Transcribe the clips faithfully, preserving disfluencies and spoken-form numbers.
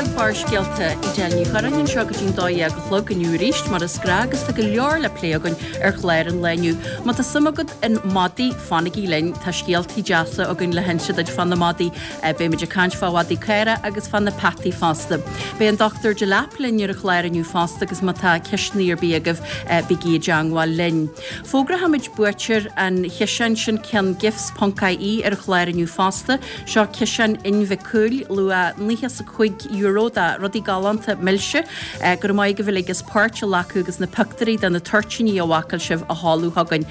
chlog Barrscéalta Edel Ní Churráin anseo go dtí'n dó dhéag a chlog inniu arís mar is gnách agus tá go leor le plé againn ar chlár an lae inniu. Má tá suim agat in madaí fanaigí linn tá scéaltaí deasa againn le hinse duit fá na madaí beimid ag caint fá mhadaí caora agus fá na peataí fosta. Beidh an Dr. Delap linn ar an chlár inniu fosta agus má tá ceisteanna ar bith agaibh bígí i dteagmháil linn. Fógróimid buaiteoir an chiseáin sin ceann gifts.ie ar an chlár inniu fosta, seo ciseán Inbhir Mhic Cumhaill luach nócha is a cúig euro de rudaí galánta milse go raibh maith agaibh uilig as páirt a ghlacadh agus na pictiúirí de na toirtíní a bhácáil sibh a sheoladh chugainn.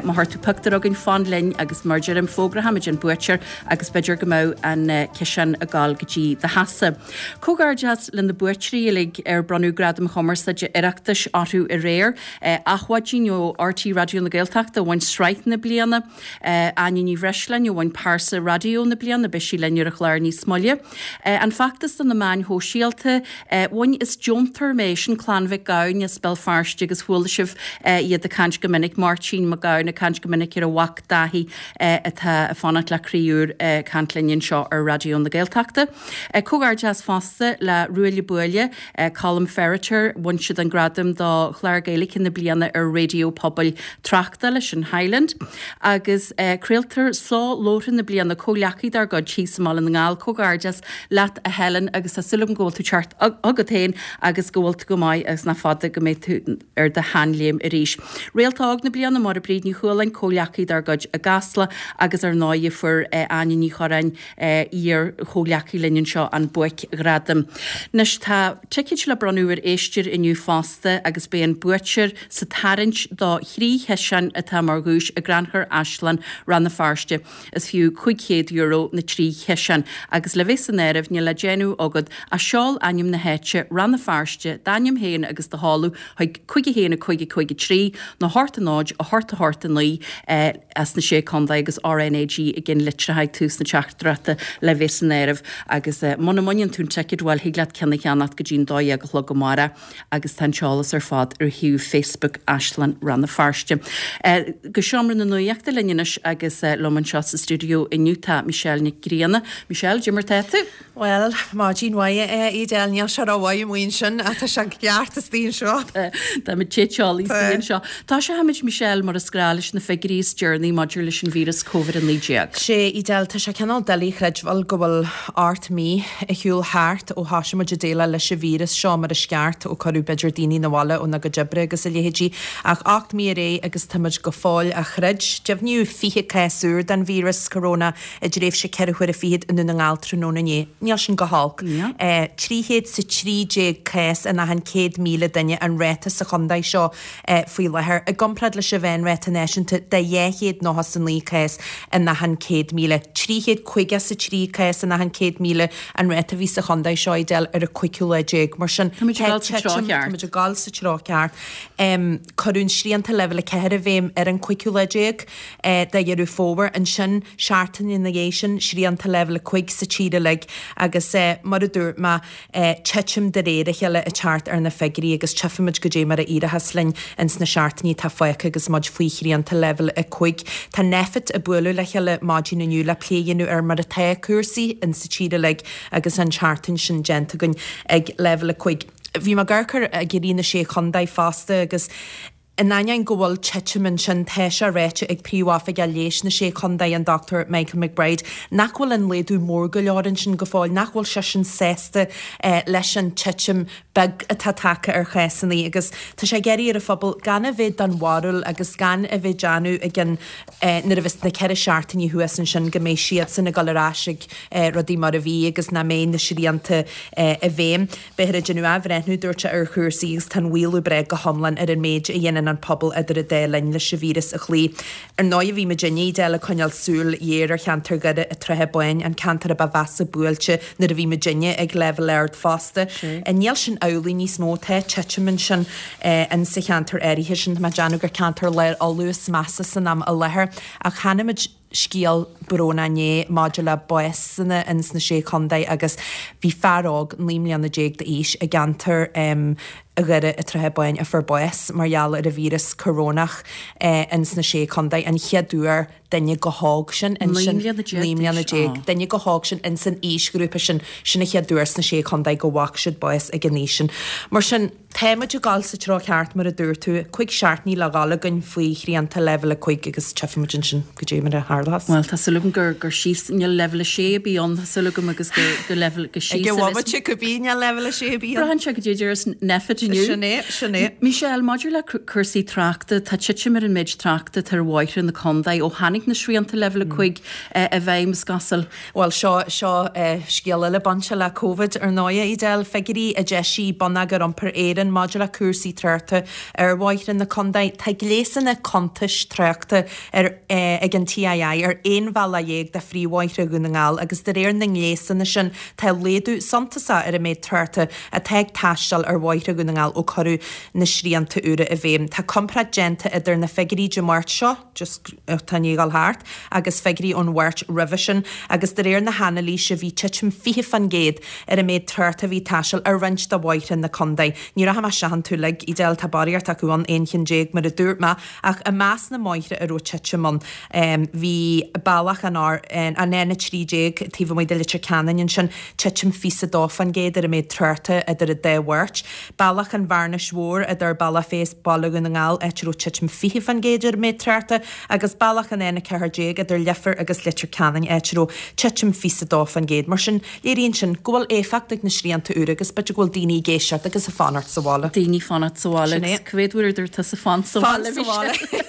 Má chuir tú pictiúr chugainn fan linn agus mar deirim fógróimid an buaiteoir agus b'fhéidir go mbeidh an ciseán ag gabháil go dtí do theachsa. Comhghairdeas le na buaiteoirí uilig ar bronnadh Gradam Chumarsáide Oireachtais orthu aréir, Adhmhaidin ó RTÉ Raidió na Gaeltachta bhain sraith na bliana, Áine Ní Bhreisleáin a bhain pearsa raidió na bliana beidh sí linn ar an chlár níos moille. An feachtas do na meáin shóisialta bhain is deontóir mé sin Clann Mhic Gabhann as Béal Feirste agus chuala sibh iad ag caint go minic Máirtín Mac Gabhann ag caint go minic ar a mhac Dáithí atá ag fanacht le croí úr caint linn anseo ar Raidió na Gaeltachta. Comhghairdeas fosta le Ruaille Buaille, Colm Ferriter bhain siad an gradam do chlár Gaeilge na bliana ar Raidió Pobail Tráchtála sin Highland, agus craoltóir soláthair na bliana comhghleacaí dár gcuid thíos i mBaile na nGall comhghairdeas leat a Helen agus tá súil agam go bhfuil tú ceart agat féin agus go bhfuil tú go maith agus nach fada go mbeidh tú ar do sheanléim arís. Réalta óg na bliana Máire Bríd Ní Chualáin comhghleacaí dár gcuid i gCasla agus ar ndóigh fuair Áine Ní Churráin iar-chomhghleacaí linn anseo an buaicghradam. Anois tá ticéid le bronnadh ar éisteoir inniu fosta agus beidh an buaiteoir sa tarraingt do thrí chiseán atá mar dhuais i gCrannchur Áislann Rann na Feirste. Is fiú cúig chéad euro na trí chiseán agus le bheith san áireamh níl le déanamh agat ach seol ainm na háite Rann na Feirste d'ainm féin agus do sheoladh chuig cúig a haon a cúig a cúig a trí nó hocht a náid a hocht a hocht a naoi as na sé contae agus RNAG i gcinn litreacha ag tús na teachtaireachta le bheith san áireamh agus muna mbaineann tú an ticéad bhuel thig leat ceann a cheannacht go dtí'n dó dhéag a chlog amárach agus tá an t-eolas ar fad ar shuíomh Facebook Áislann Rann na Feirste. Go seomra na nuachta linn anois agus liom anseo sa stiúideo inniu tá Michelle Nic Grianna. Michelle, cad é mar tá tú? Well, maidin mhaith Edel níl sé rómhaith amuigh ansin ach tá sé ceart istigh anseo. Tá muid te teolaí istigh anseo. Tosóimid Michelle mar is gnách leis na figiúirí is deireanaí maidir leis an víreas Covid a naoi déag. Sé Edel tá sé cineál doiligh a chreidbheáil go bhfuil ocht mí ar shiúl thart ó thosaigh muid ag déileáil leis an víreas seo mar is ceart ó cuireadh b'fhéidir daoine na bhaile óna gcuid oibre agus a leithéidí ach ocht mí ar aghaidh agus táimid go fóill á throid. Deimhníodh fiche cás úr den víreas corona i dtréimhse ceithre huaire fichead i nDún na nGall tráthnóna inné. Níl sin go holc. Trí chéad 's a trí déag cás in achan céad míle duine an ráta sa chontae seo faoi láthair, i gcomparáid leis an mheánráta náisiúnta de dhá chéad nócha 's a naoi cás in achan céad míle. Trí chéad caoga 's a trí cás in achan céad míle an ráta a bhí sa chontae seo Edel ar an cúigiú lá déag. Mar sin, Táimid ag dul sa treo ceart. Táimid ag dul sa treo ceart. Cuireadh srianta leibhéal a ceathair i bhfeidhm ar an cúigiú lá déag de Dheireadh Fómhair. Ansin, seachtain ina dhiaidh sin, srianta leibhéal a cúig sa tír uilig agus mar a dúirt mé, titim de réir a chéile ag teacht ar na figiúirí agus tchífimid goidé mar a éireochas linn ins na seachtainí atá fágtha agus muid faoi shrianta leibhéal a cúig. Tá Nphet ag bualadh le chéile maidin inniu le plé a dhéanamh ar mar atá cúrsaí ins sa tír uilig agus an tseachtain sin déanta againn ag leibhéal a cúig. Bhí mé ag amharc ar fhigiúirí na Sé Chontae fosta agus in ainneoin go bhfuil titim ansin, tá sé ráite ag Príomhoifigeach Leighis na Sé Chontae, an Dr Michael McBride, nach bhfuil an laghdú mór go leor ansin go fóill, nach bhfuil seisean sásta leis an titim beag atá tagtha ar chásanna agus tá sé ag iarraidh ar an phobal gan a bheith den bharúil agus gan a bheith ag déanamh i gcionn nuair a bheas na ceithre seachtainí thuas ansin go mbeidh siadsan ag dul ar ais ag rudaí mar a bhí agus nach mbeidh na srianta i bhfeidhm. Beifear ag déanamh athbhreithniú, dúirt sé, ar chúrsaí agus tá an maolú breá go hiomlán ar an méid a dhéanann an pobal idir an dá linn leis an víreas a chloí. Ar ndóigh bhí muidinne Edel ag coinneáil súil ghéar ar cheantar Dhoire an tSratha Báin, an ceantar a ba mheasa buailte nuair a bhí muidinne ag leibhéal ard fosta. Níl sin amhlaidh níos mó, tá titim ansin in sa cheantar áirithe sin, tá mé ag déanamh gur ceantar Lár Uladh is measa san am i láthair ach chonaic muid scéal brónach inné maidir le básanna ins na Sé Chontae agus bhí fear óg naoi mbliana déag d'aois i gceantar i Dhoire an tSratha Báin a fuair bás mar gheall ar an víreas corónach ins na Sé Chontae, an chéad uair duine chomh hóg sin in Naoi mbliana déag naoi mbliana déag, duine chomh hóg sin ins an aoisghrúpa sin, sin an chéad uair sna Sé Chontae go bhfaca siad bás ag an aois sin. Mar sin, tá muid ag dul sa treo ceart mar a dúirt tú, cúig seachtainí le dhul againn faoi shrianta leibhéal a cúig agus tchífidh muid ansin goidé mar a tharlós. Bhuel, tá súil agam gur gur síos níl leibhéal a sé a bhí ann, tá súil agam agus gur gur leibhéal go síos Ag an bhomaite cibé níl leibhéal a sé a bhí ann. Braitheann sé goidé a déarfas Nphet inniu. Sin é, sin é. Michelle, maidir le cúrsaí tráchta, tá titim ar an méid tráchta atá ar bhóithre na contae ó tháinig na srianta leibhéal a cúig i bhfeidhm, is cosúil. Bhuel, seo seo scéal eile bainte le Covid ar ndóigh, Edel, figiúirí a d'eisigh Bonneagar Iompair Éireann maidir le cúrsaí tráchta ar bhóithre na contae. Tá gléasanna cuntais tráchta ar ag an TII ar aon bhealach dhéag de phríomhbhóithre Dhún na nGall agus de réir na ngléasanna sin tá laghdú suntasach ar an méid tráchta atá ag taisteal ar bhóithre Dhún na nGall ó cuireadh na srianta úra i bhfeidhm. Tá comparáid déanta idir na figiúirí Dé Máirt seo, just atá i ndiaidh dul thart, agus figiúirí ón Mháirt roimhe sin agus de réir na hanailíse bhí titim fiche faoin gcéad ar an méid tráchta a bhí ag taisteal ar roinnt de bhóithre na contae. Ní rachaidh mé isteach iontu uilig, Edel, tá barraíocht acu ann, aon cheann déag mar a dúirt mé, ach i measc na mbóithre a raibh titim ann bhí bealach an an N a trí déag taobh amuigh de Leitir Ceanainn ansin, titim fiche a dó faoin gcéad ar an méid tráchta idir an dá Mháirt. Bealach an Bhearnais Mhóir idir Bealach Féich is Baile Dhún na nGall, áit a raibh titim fiche faoin gcéad ar an méid tráchta, agus bealach an N a ceathair déag idir Leifear agus Leitir Ceanainn, áit a raibh titim fiche a dó faoin gcéad. Mar sin, léiríonn sin go bhfuil éifeacht ag na srianta úra agus b'fhéidir go bhfuil daoine ag éisteacht agus ag fanacht sa bhaile. Daoine fanacht sa bhaile Sin é. agus cá mhéad uair a dúirt tusa fan sa Fan bhaile sa bhaile.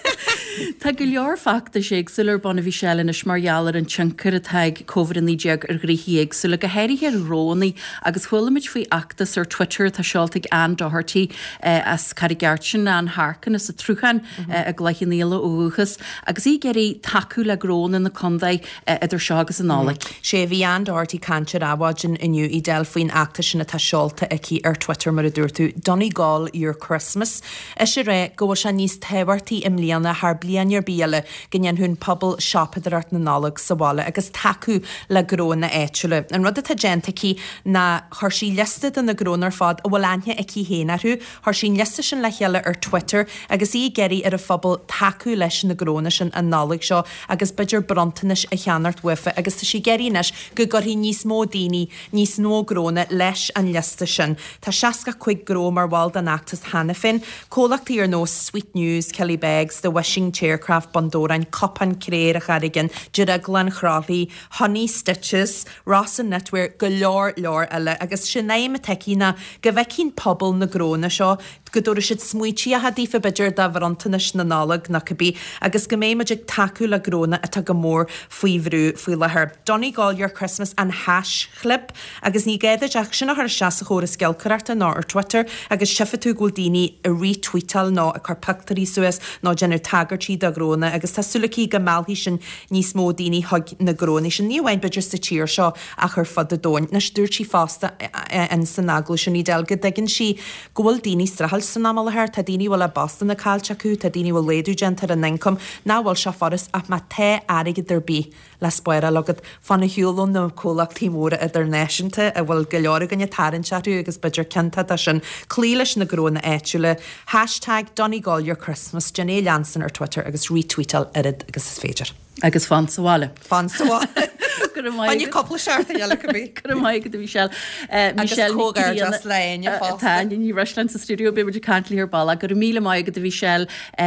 Tá go leor feachtais éagsúla ar bun a Mhichelle anois mar gheall ar an tionchar atá ag Covid a naoi déag ar ghnoithí éagsúla, go háirithe ar ghnóanna agus chuala muid faoi fheachtas ar Twitter atá seolta ag Anne Doherty eh, as Carraig Airt sin Anne Harkin as an Tsruthán eh, i gCloich Cheann Fhaola ó dhúchas, agus í ag iarraidh tacú le gnóanna na contae eh, idir seo agus an Nollaig. Sé bhí Anne Doherty caint ar Adhmhaidin inniu Edel faoin fheachtas sin atá seolta aici ar Twitter mar a dúirt tú, Donegal your Christmas. Is é rá go bhfuil sé níos tábhachtaí i mbliana thar bliain ar bith eile go ndéanfadh an pobal siopadóireacht na Nollag sa bhaile agus tacú le gnónna áitiúla. An rud atá déanta aici ná chuir sí liosta de na gnónna ar fad a bhfuil aithne aici féin orthu, chuir sí an liosta sin le chéile ar Twitter agus í ag iarraidh ar an phobal tacú leis na gnónna sin an Nollaig seo agus b'fhéidir bronntanais a cheannacht uafa agus tá sí ag iarraidh anois go gcuirfidh níos mó daoine níos mó gnónna leis an liosta sin. Tá seasca cúig gnó mar bhall den fheachtas cheana féin, comhlachtaí ar nós Sweet News, Killybegs, The Wishing Chaircraft, Bundoran, Cupán Cré an Charraigin, Drioglann Chroithlí, Honey Stitches, Ross and Knitwear, go leor leor eile agus sin aidhm atá aici ná go bhfeicfidh pobal na gnónna seo go dtabharfaidh siad smaointe daofa b'fhéidir do bhronntanais na Nollag nó cibé agus go mbeidh muid ag tacú le gnónna atá go mór faoi bhrú faoi láthair. Donegal your Christmas an haischlib agus ní gá duit ach sin a chur isteach sa chóras giolcaireachta nó ar Twitter agus tchífidh tú go bhfuil daoine ag retweetáil nó ag cur pictiúirí suas nó déanamh tagairtí do ghnónna agus tá súil aici go meallfaidh sin níos mó daoine chuig na gnónna sin ní amháin b'fhéidir sa tír seo ach ar fud an domhain. Anois dúirt sí fosta in san agallamh sin Edel go dtuigeann sí go bhfuil daoine streachailt san am i láthair, tá daoine bhfuil a bpostanna caillte acu, tá daoine bhfuil laghdú déanta ar an ioncam, nach bhfuil sé furast ach má tá airgead ar bith le spáráil agat fan ar shiúl ó na comhlachtaí móra idirnáisiúnta a bhfuil go leor againne tarraingt orthu agus b'fhéidir ciontach de sin cloí leis na gnónna áitiúla. Hashtag Donegal your Christmas, déan é a leanstan ar Twitter agus retweetáil oiread agus is féidir. Agus fan sa bhaile. Fan sa bhaile. Go raibh maith Bainne cúpla seachtain eile cibé. Go raibh maith agat a Michelle. Agus comhghairdeas le Áine fosta. Tá Áine Ní Bhreisleáin sa stiúideo beidh muid ag caint léi ar ball. Go raibh míle maith agat a Michelle.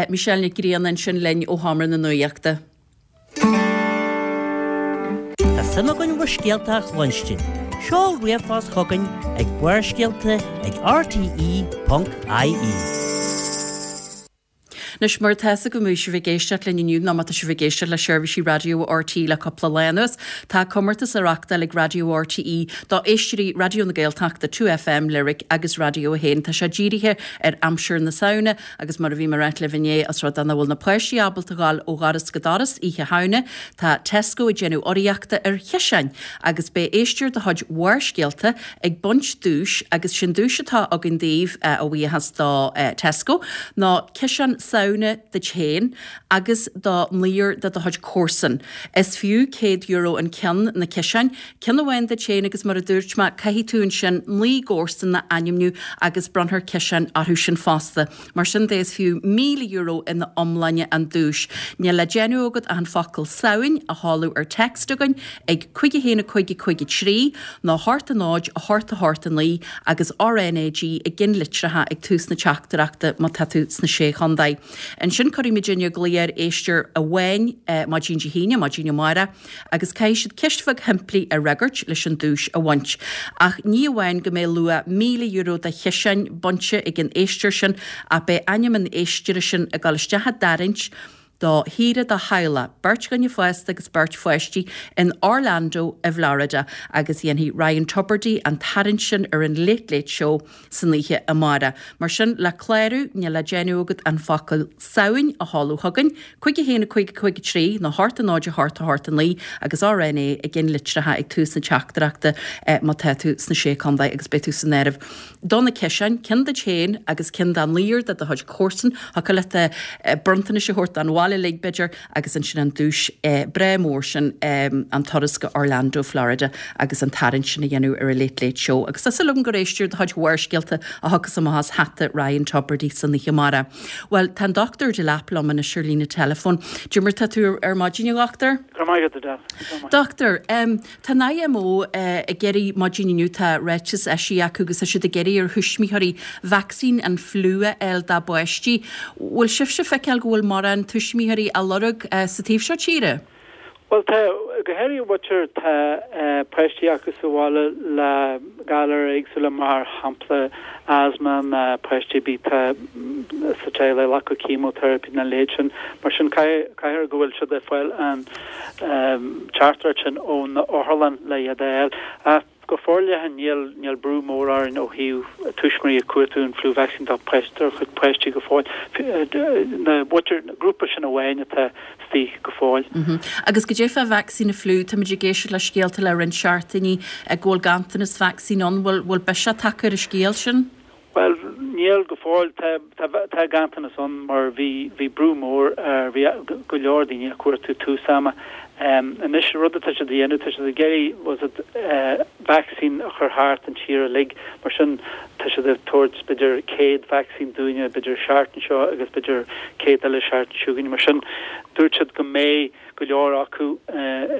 Michelle Nic Grianna ansin linn ó Sheomra na Nuachta. Tá suim againn bhur scéalta a chluinstin. Seol ríomhphost chugainn ag Barrscéalta ag RTE.ie. Anois mar tá go mbeidh sibh ag éisteacht linn inniu nó má tá sibh ag éisteacht le seirbhísí raidió RTÉ le cúpla lá anuas. Tá comórtas á reáchtáil ag Raidió RTÉ do éisteoirí Raidió na Gaeltachta two FM Lyric agus Raidió a haon. Tá sé dírithe ar aimsir na Samhna agus mar a bhí mé ag ráit libh inné os rud é nach bhfuil na páistí ábalta dul ó dhoras go doras oíche Shamhna, tá Tesco ag déanamh urraíochta ar chiseáin agus beidh éisteoir de chuid Bharrscéalta ag baint duais agus sin duais atá againn daoibh a bhuíochas do Tesco ná ciseán Samhna Samhna duit féin agus do naonúr de do chuid comharsan. Is fiú céad euro an ceann na ciseáin, ceann amháin duit féin agus mar a dúirt mé, caithfidh tú ansin naoi gcomharsan a ainmniú agus bronnfar ciseáin orthu sin fosta. Mar sin de is fiú míle euro ina iomláine an duais. Níl le déanamh agat ach an focal Samhain a sheoladh ar text againn ag cúig a haon a cúig a cúig a trí nó a hocht a náid a hocht a hocht a naoi agus RNAG i gceannlitreacha ag tús na teachtaireachta má tá tú sna Sé Chontae. Ansin cuirfidh muidinne glao ar éisteoir amháin maidin Dé hAoine, maidin amárach, agus caithfidh siad ceist bheag shimplí a fhreagairt leis an duais a bhaint. Ach ní amháin go mbeidh luach míle euro de chiseáin bainte ag an éisteoir sin ach beidh ainm an éisteora sin ag dul isteach i dtarraingt do shaoire do theaghlach, beirt dhuine fásta agus beirt pháistí, in Orlando i bhFlorida agus dhéanfaidh Ryan Tubridy an tarraingt sin ar an Late Late Show san oíche amárach. Mar sin, le clárú, níl le déanamh agat an focal Samhain a sheoladh chugainn, cúig a haon a cúig a cúig a trí nó a hocht a náid a hocht a hocht a naoi agus RNA i gceannlitreacha ag tús na teachtaireachta má tá tú sna Sé Chontae agus beidh tú san áireamh do na ciseáin, ceann duit féin agus ceann do naonúr de do chuid comharsan, thiocfadh leat bronntanais a thabhairt don bhaile uilig b'fhéidir agus ansin an duais breá mór sin an turas go Orlando, Florida agus an tarraingt sin a dhéanamh ar an Late Late Show. Agus tá súil agam gur éisteoir de chuid Bharrscéalta a thiocfas amach as hata Ryan Tubridy san oíche amárach. Bhuel, tá an Dochtúir Delap liom anois ar líne teileafóin. Cad é mar tá tú ar maidin, a dhochtúir? Go raibh maith agat, a Del. Dochtúir, tá an IMO ag iarraidh maidin inniu, tá ráiteas eisithe acu agus tá siad ag iarraidh ar thuismitheoirí vacsaín an fliú a fháil dá bpáistí. Bhfuil sibhse ag feiceáil go bhfuil mórán tuismitheoirí á lorg sa taobh seo tíre? Bhuel, tá, go háirithe muintir atá páistí acu sa bhaile le galair éagsúla, mar shampla asthma nó páistí a bhí tá sa teaghlach ag glacadh chemotherapy nó a leithéid sin. Mar sin, caithfidh go bhfuil siad ag fáil an teachtaireacht sin ón otharlann le iad a fháil. Ach go forleathan níl níl brú mór orainn ó thaobh tuismitheoirí ag cuartú an flu vaccine dá dá chuid páistí go fóill. Na muintir, grúpa sin amháin atá istigh go fóill. Agus goidé fá vacsaín na fliú, táimid ag éisteacht le scéalta le roinnt seachtainí go bhfuil ganntanas vacsaín ann, bhfuil bhfuil biseach tagtha ar an scéal sin? Bhuel, níl go fóill. Tá tá ganntanas ann mar bhí bhí brú mór ar bhí go leor daoine ag cuartú tús ama. Anois rud atá siad a dhéanamh, tá siad ag iarraidh was it vacsaín a chur thart an tír uilig, mar sin tá siad ag tabhairt b'fhéidir céad vacsaín dúinne b'fhéidir seachtain seo agus b'fhéidir céad eile seachtain seo chugainn. Mar sin dúirt siad go mbeidh go leor acu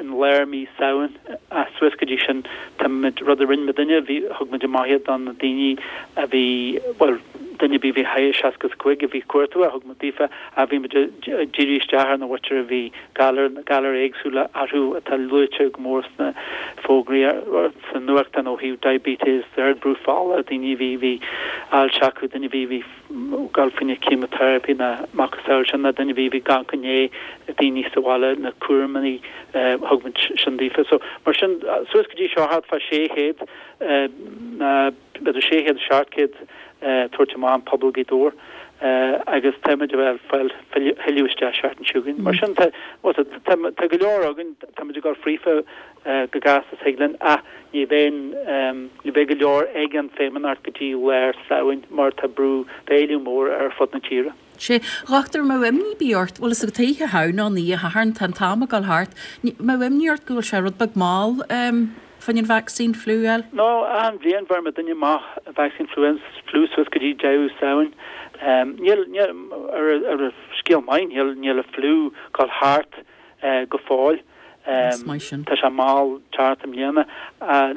in lár mí Samhain ach suas go dtí sin táimid, rud a rinne muidinne, bhí, thug muid amach iad do na daoine a bhí, bhuel, duine ar bith a bhí thar seasca is a cúig a bhí ag cuartú é, thug muid daofa ach bhí muid ag díriú isteach ar na mhuintir a bhí galar, galair éagsúla orthu atá luaite go mór sna fógraí, sa nuachtán ó thaobh diabetes, ard brú fola, daoine a bhí, bhí ailse acu, duine a bhí, bhí ag gabháil faoina chemotherapy nó macasamhail sin nó duine a bhí bhí gan coinne daoine sa bhaile na cúraimí thug muid sin daofa. So mar sin suas go dtí seo thart fá sé chéad ná b'fhéidir sé chéad seacht gcéad tabhairt amach an pobal Ghaoth Dobhair agus tá muid ag fáil thuilleadh isteach seachtain seo chugainn. Mar sin tá tá go leor againn, tá muid ag dul fríofa go gasta is thig linn ach ní bheidh ní bheidh go leor ag an Feidhmeannacht go dtí lár Samhain mar tá brú, tá éileamh mór ar fud na tíre. Sea, a dhochtúir, an mbeadh imní ar bith ort, bhuel is ag oíche Shamhna an oíche Shathairn, tá an t-am ag dul thart, an mbeadh imní ort go bhfuil sé rud beag mall fán an vacsaín fliú a fháil? No, achan bhliain bheir muidinne amach vacsaín fliú, fliú suas go dtí deireadh Samhain. Níl, níl, ar, ar scéal maith, níl, níl an fliú ag dul thart go fóill. Is maith sin. Tá sé mall teacht i mbliana.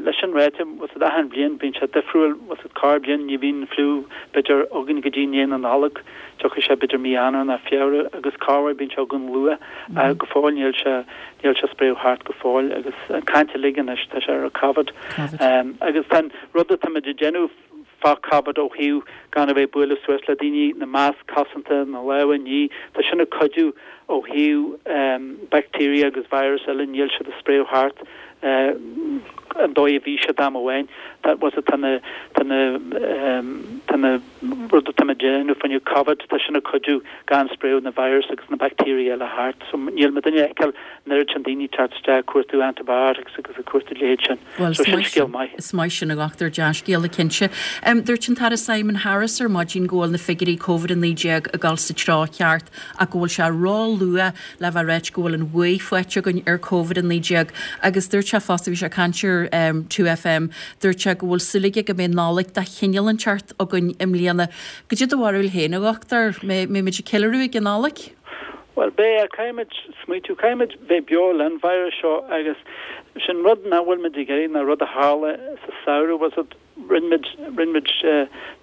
Leis sin ráite, bhfuil a fhios agat achan bhliain bíonn sé difriúil, bhfuil a fhios agat corrbhliain ní bhíonn fliú b'fhéidir againn go dtí ndiaidh na Nollag, tiocfaidh sé b'fhéidir mí Eanáir nó Feabhra agus corruair bíonn sé againn luath. Go fóill níl sé níl sé spréadh thart go fóill agus an caint uilig anois tá sé ar Covid. Agus tá an rud atáimid ag déanamh fá Covid ó thaobh gan a bheith ag bualadh suas le daoine, na masc cosanta, na lámha a ní, tá sin ag cuidiú ó thaobh bacteria agus virus eile, níl siad ag spréadh thart an dóigh a bhí siad am amháin. Tá bhfuil tá na tá na tá na rud atá muid ag déanamh fá choinne Covid, tá sin ag cuidiú gan spréadh na virus agus na baictéirí eile thart. So níl muid ag feiceáil an oiread sin daoine teacht isteach ag cuartú antibiotics agus ag cuartú a leithéid sin. Bhuel, So sin scéal maith. Is maith sin a dhochtúir, dea-scéala cinnte. Dúirt an tAire Simon Harris ar maidin go bhfuil na figiúirí Covid a naoi déag ag dul sa treo ceart ach go bhfuil sé ró-luath le bheith ag ráit go bhfuil an bhuaidh faighte againn ar Covid a naoi déag agus dúirt sé fosta, bhí sé ag caint ar two FM, dúirt sé go bhfuil súil aige go mbeidh Nollaig de chineál inteacht againn i mbliana. Goidé do bharúil féin, a dhochtúir, mbeidh muid ag ceiliúradh ag an Nollaig? Bhuel, beidh, caithfimid smaoitiú, caithfimid bheith beo len virus seo agus sin rud nach bhfuil muid ag iarraidh ná rud a tharla sa samhradh, was it, rinne muid, rinne muid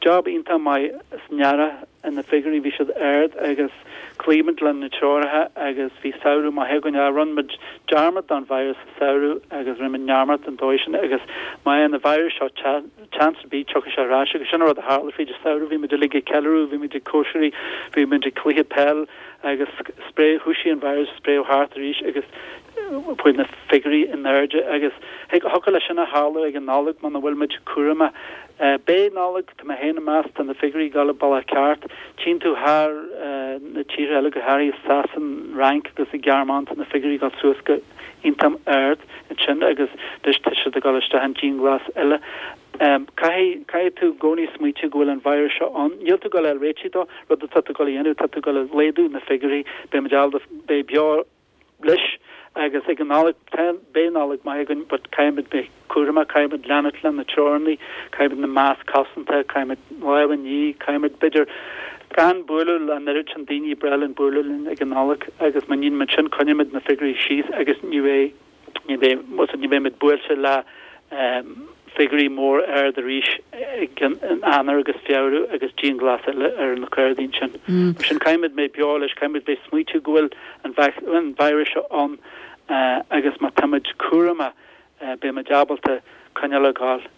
job iontach maith san earrach na figiúirí bhí siad ard agus chloígh muid le na treoracha agus bhí samhradh maith againn ach rinne muid dearmad den virus sa samhradh agus rinne muid neamart den dóigh sin agus má fhaigheann an virus seo chance ar bith tiocfaidh sé ar ais agus sin an rud a tharla fríd an samhradh bhí muid uilig ag ceiliúradh bhí muid ag cóisirí bhí muid ag cluiche peil agus spréadh thoisigh an virus spréadh thart arís agus chuaigh na figiúirí in airde agus thiocfadh leis sin a tharlú ag an Nollaig muna bhfuil muid cúramach. Beidh Nollaig, tá mé féin ag meas, tá na figiúirí ag dul an bealach ceart. Tchíonn tú thar na tíortha eile, go háirithe Sasain, Fhrainc agus an Ghearmáin, tá na figiúirí ag dul suas go iontach ard ansin agus anois tá siad ag dul isteach in dianghlas eile. Caithfidh, caithfidh tú i gcónaí smaoitiú go bhfuil an virus seo ann. Níl tú ag dul a fháil réitigh dó, rud atá tú ag dul a dhéanamh, tá tú ag dul a laghdú na figiúirí, beidh muid ábalta beidh beo leis agus ag an Nollaig, tá, beidh Nollaig maith againn but caithfimid bheith cúramach, caithfimid leanúint le na treoranna, caithfimid na masc cosanta, caithfimid lámha a ní, caithfimid b'fhéidir gan bualadh le an oiread sin daoine, breá linn bualadh linn ag an Nollaig agus má níonn muid sin coinneoimid na figiúirí síos agus ní bheidh, ní bheidh, ní bheidh muid buailte le figiúirí mór ard arís ag an Eanáir agus Feabhra agus dianghlas eile ar na Céadaoin sin. Mar sin caithfimid bheith beo leis, caithfimid bheith smaoitiú go bhfuil an an virus seo ann agus má táimid cúramach beimid ábalta coinneáil ag gabháil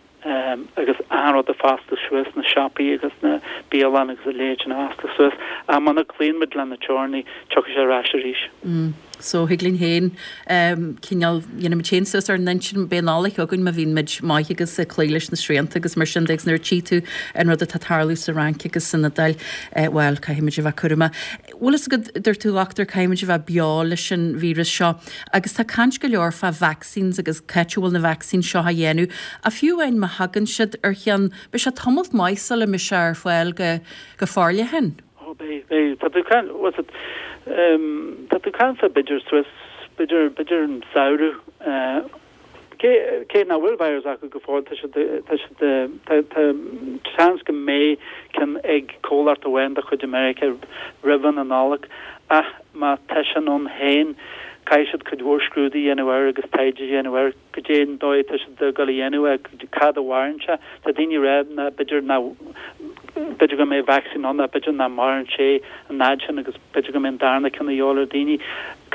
agus achan rud a foscladh suas, na siopaí agus na bialanna agus a leithéid sin a fhoscladh suas. Ach muna gcloíonn muid le na teorannaí, tiocfaidh sé ar ais arís. So thig linn féin cineál, dhéanfaimid féin suas ár n-intinn, beidh Nollaig againn má bhíonn muid maith agus ag cloí leis na srianta agus mar sin de agus nuair a tchí tú an rud atá ag tarlú sa Fhrainc agus san Iodáil, bhuel, caithfimid a bheith cúramach. Bhfuil fhios agat, dúirt tú, a dhochtúir, caithfimid a bheith beo leis an víreas seo agus tá caint go leor fá vaccines agus c'áit a bhfuil na vaccines seo á dhéanamh ach fiú amháin má thagann siad ar cheann, beidh sé tamalt maith sula mbeidh sé ar fáil go, go forleathan. Ó, beidh, beidh. Tá tú caint, what's it, um, tá tú caint fá b'fhéidir suas, b'fhéidir, b'fhéidir an samhradh, uh, cé, cé nach bhfuil virus acu go fóill, tá siad, tá siad, tá, tá seans go mbeidh ceann ag comhlacht amháin de chuid America roimh an Nollaig, ach má tá sin ann féin, caithfidh siad cuid mhór scrúdú a dhéanamh air agus taighde a dhéanamh air, goidé an dóigh atá siad ag dul a dhéanamh é, cad a mharaíonn sé. Tá daoine ag rá ná b'fhéidir ná, b'fhéidir go mbeidh vacsaín ann ach b'fhéidir nach maireann sé an fhad sin agus b'fhéidir go mbeidh an darna ceann a dhíobháil ar daoine.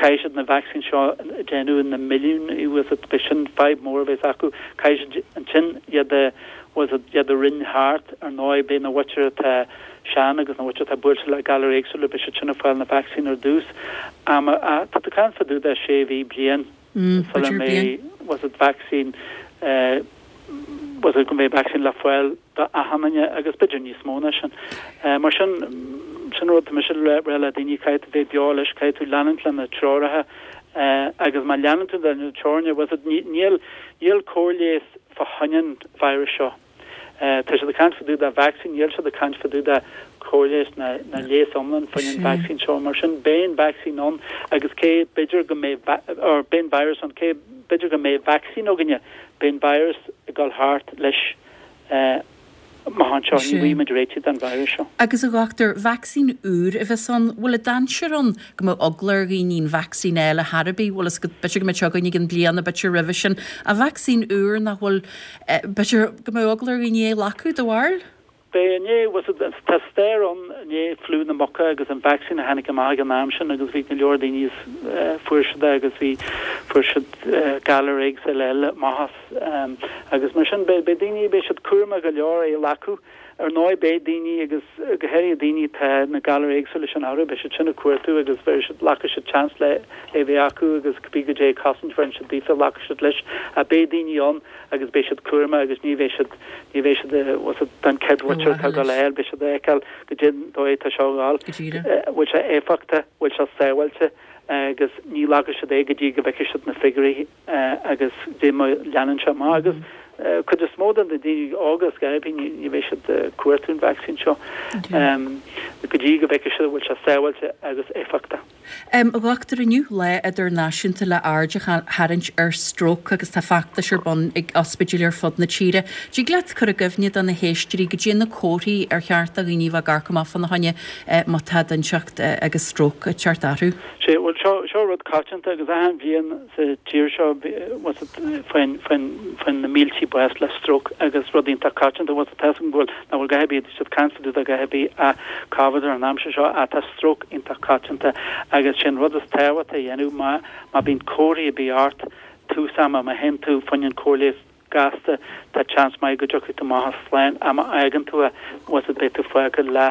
Caithfidh siad na vacsaín seo a déanamh na milliúin, bhfuil fhios agat, beidh sin fadhb mór a bheas acu. Caithfidh siad ansin iad a, bhfuil fhios agat, iad a roinn thart, ar ndóigh beidh na mhuintir atá sean agus na mhuintir atá buailte le galair éagsúla, beidh siad sin ag fáil na vacsaín ar dtús. Am, tá tú ag caint fá dtaobh de sé mhí, bliain sula mbeidh, bhfuil fhios agat, vacsaín, bhfuil fhios agat, go mbeidh vacsaín le fáil do achan duine agus b'fhéidir níos mó ná sin. Mar sin, sin rud atá mise le rá le daoine, caithfidh tú bheith beo leis, caithfidh tú leanúint le na treoracha agus má leanann tú le na treoranna, bhfuil fhios agat, níl, níl cóir leighis fá choinne an virus seo. Tá siad ag caint fá dtaobh de vacsaín, níl siad ag caint fá dtaobh de cóir leighis ná ná leigheas iomlán fá choinne an vacsaín seo. Mar sin, beidh an vacsaín ann agus cé b'fhéidir go mbeidh, or beidh an virus ann, cé b'fhéidir go mbeidh vacsaín againne, beidh an virus ag dul thart leis amach anseo, ní bhfaighidh muid réitigh don virus seo. Agus a dhochtúir, vacsaín úr a bheas ann, bhfuil an dainséar ann go mbeadh eagla ar dhaoine an vacsaín a fháil ar chor ar bith, bhfuil fhios agat, b'fhéidir go mbeidh sé againn i gcionn bliana, b'fhéidir roimhe sin, ach vacsaín úr nach bhfuil, b'fhéidir go mbeadh eagla ar dhaoine é a ghlacadh, do bharúil? Beidh inné, bhfuil fhios agat, tá stair ann i ndiaidh fliú na muca agus an vacsaín a tháinig amach ag an am sin agus bhí go leor daoine is fuair siad é agus bhí, fuair siad galair éagsúla eile amach as agus mar sin beidh, beidh daoine, beidh siad cúramach go leor é a ghlacadh Ar ndóigh beidh daoine agus go háirithe daoine tá na galair éagsúla sin orthu, beidh siad sin ag cuartú agus bheidh siad, glacfaidh siad seans le é bheith acu agus cibé goidé cosaint bheireann siad daofa, glacfaidh siad leis. Ach beidh daoine ann agus beidh siad cúramach agus ní bheidh siad, ní bheidh siad, bhfuil siad den chéad mhuintir atá ag dul a fháil, beidh siad ag feiceáil goidé an dóigh atá seo ag dul, bhfuil sé éifeachtach, bhfuil sé sábháilte agus ní ghlacfaidh siad é go dtí go bhfeicfidh siad na figiúirí agus dé má leanann sé amach agus cuid is mó de na daoine óga is gairibí ní bheidh siad ag cuartú an vacsaín seo go dtí go bhfeicfidh siad an bhfuil sé sábháilte agus éifeachtach. A dhochtúir, inniu lá idirnáisiúnta le aird a tharraingt ar stróc agus tá feachtais ar bun ag ospidéil ar fud na tíre. Dtig leat cur i gcuimhne do na héisteoirí goidé na comharthaí ar cheart do dhaoine bheith ag amharc amach fána choinne má tá duine inteacht agus stróc ag teacht orthu? Sé, bhuel seo, seo rud coitianta agus achan bhliain sa tír seo bhfuil faigheann, faigheann, faigheann na míltí bás le stróc agus rud iontach coitianta bhfuil tá 'fhios agam go bhfuil, nach bhfuil a dhath ar bith, tá siad ag caint fá dtaobh de a dhath ar bith ach Covid ar an aimsir seo ach tá stróc iontach coitianta agus sé an rud is tábhachtaí a dhéanamh má, má bíonn comharthaí ar bith ort tús ama, má théann tú fá choinne an cóir leighis gasta, tá seans maith go dtiocfaidh tú amach as slán ach má fhágann tú é, bhfuil 'fhios a'd, beidh tú fágtha le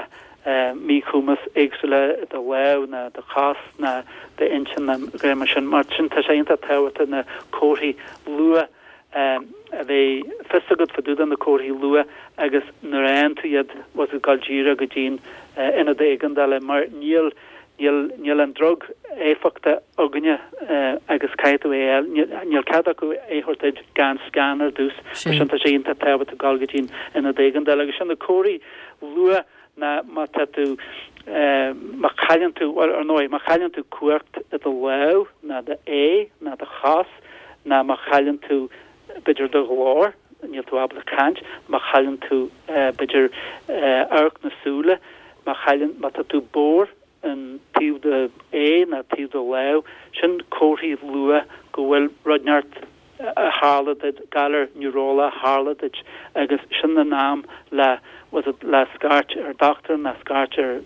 míchumas éagsúla i do lámh ná do chos ná d'intinn ná a dhath mar sin. Mar sin tá sé iontach tábhachtach na comharthaí luath a bheith fios agat fá dtaobh de na comharthaí luath agus nuair a fhaigheann tú iad bhfuil 'fhios a'd gabháil díreach go dtí'n ionad éigeandála mar níl níl níl an drug éifeachtach againne agus caithfidh tú é a fháil. Níl níl cead acu é a thabhairt duit gan scan ar dtús. Mar sin tá sé iontach tábhachtach gabháil go dtí'n ionad éigeandála agus sin na comharthaí luath ná má tá tú má chailleann tú, bhuel ar ndóigh, má chailleann tú cumhacht i do lámh ná do aghaidh ná do chos ná má chailleann tú b'fhéidir do ghlór, níl tú ábalta caint, má chailleann tú b'fhéidir amharc na súile, má chailleann, má tá tú bodhar an taobh de d'aghaidh ná taobh de do lámh, sin comharthaí luath go bhfuil rud inteacht a tharla duit, galar niúrálach a tharla duit agus sin an am le, bhfuil 'fhios a'd, le scairt ar dochtúir ná scairt ar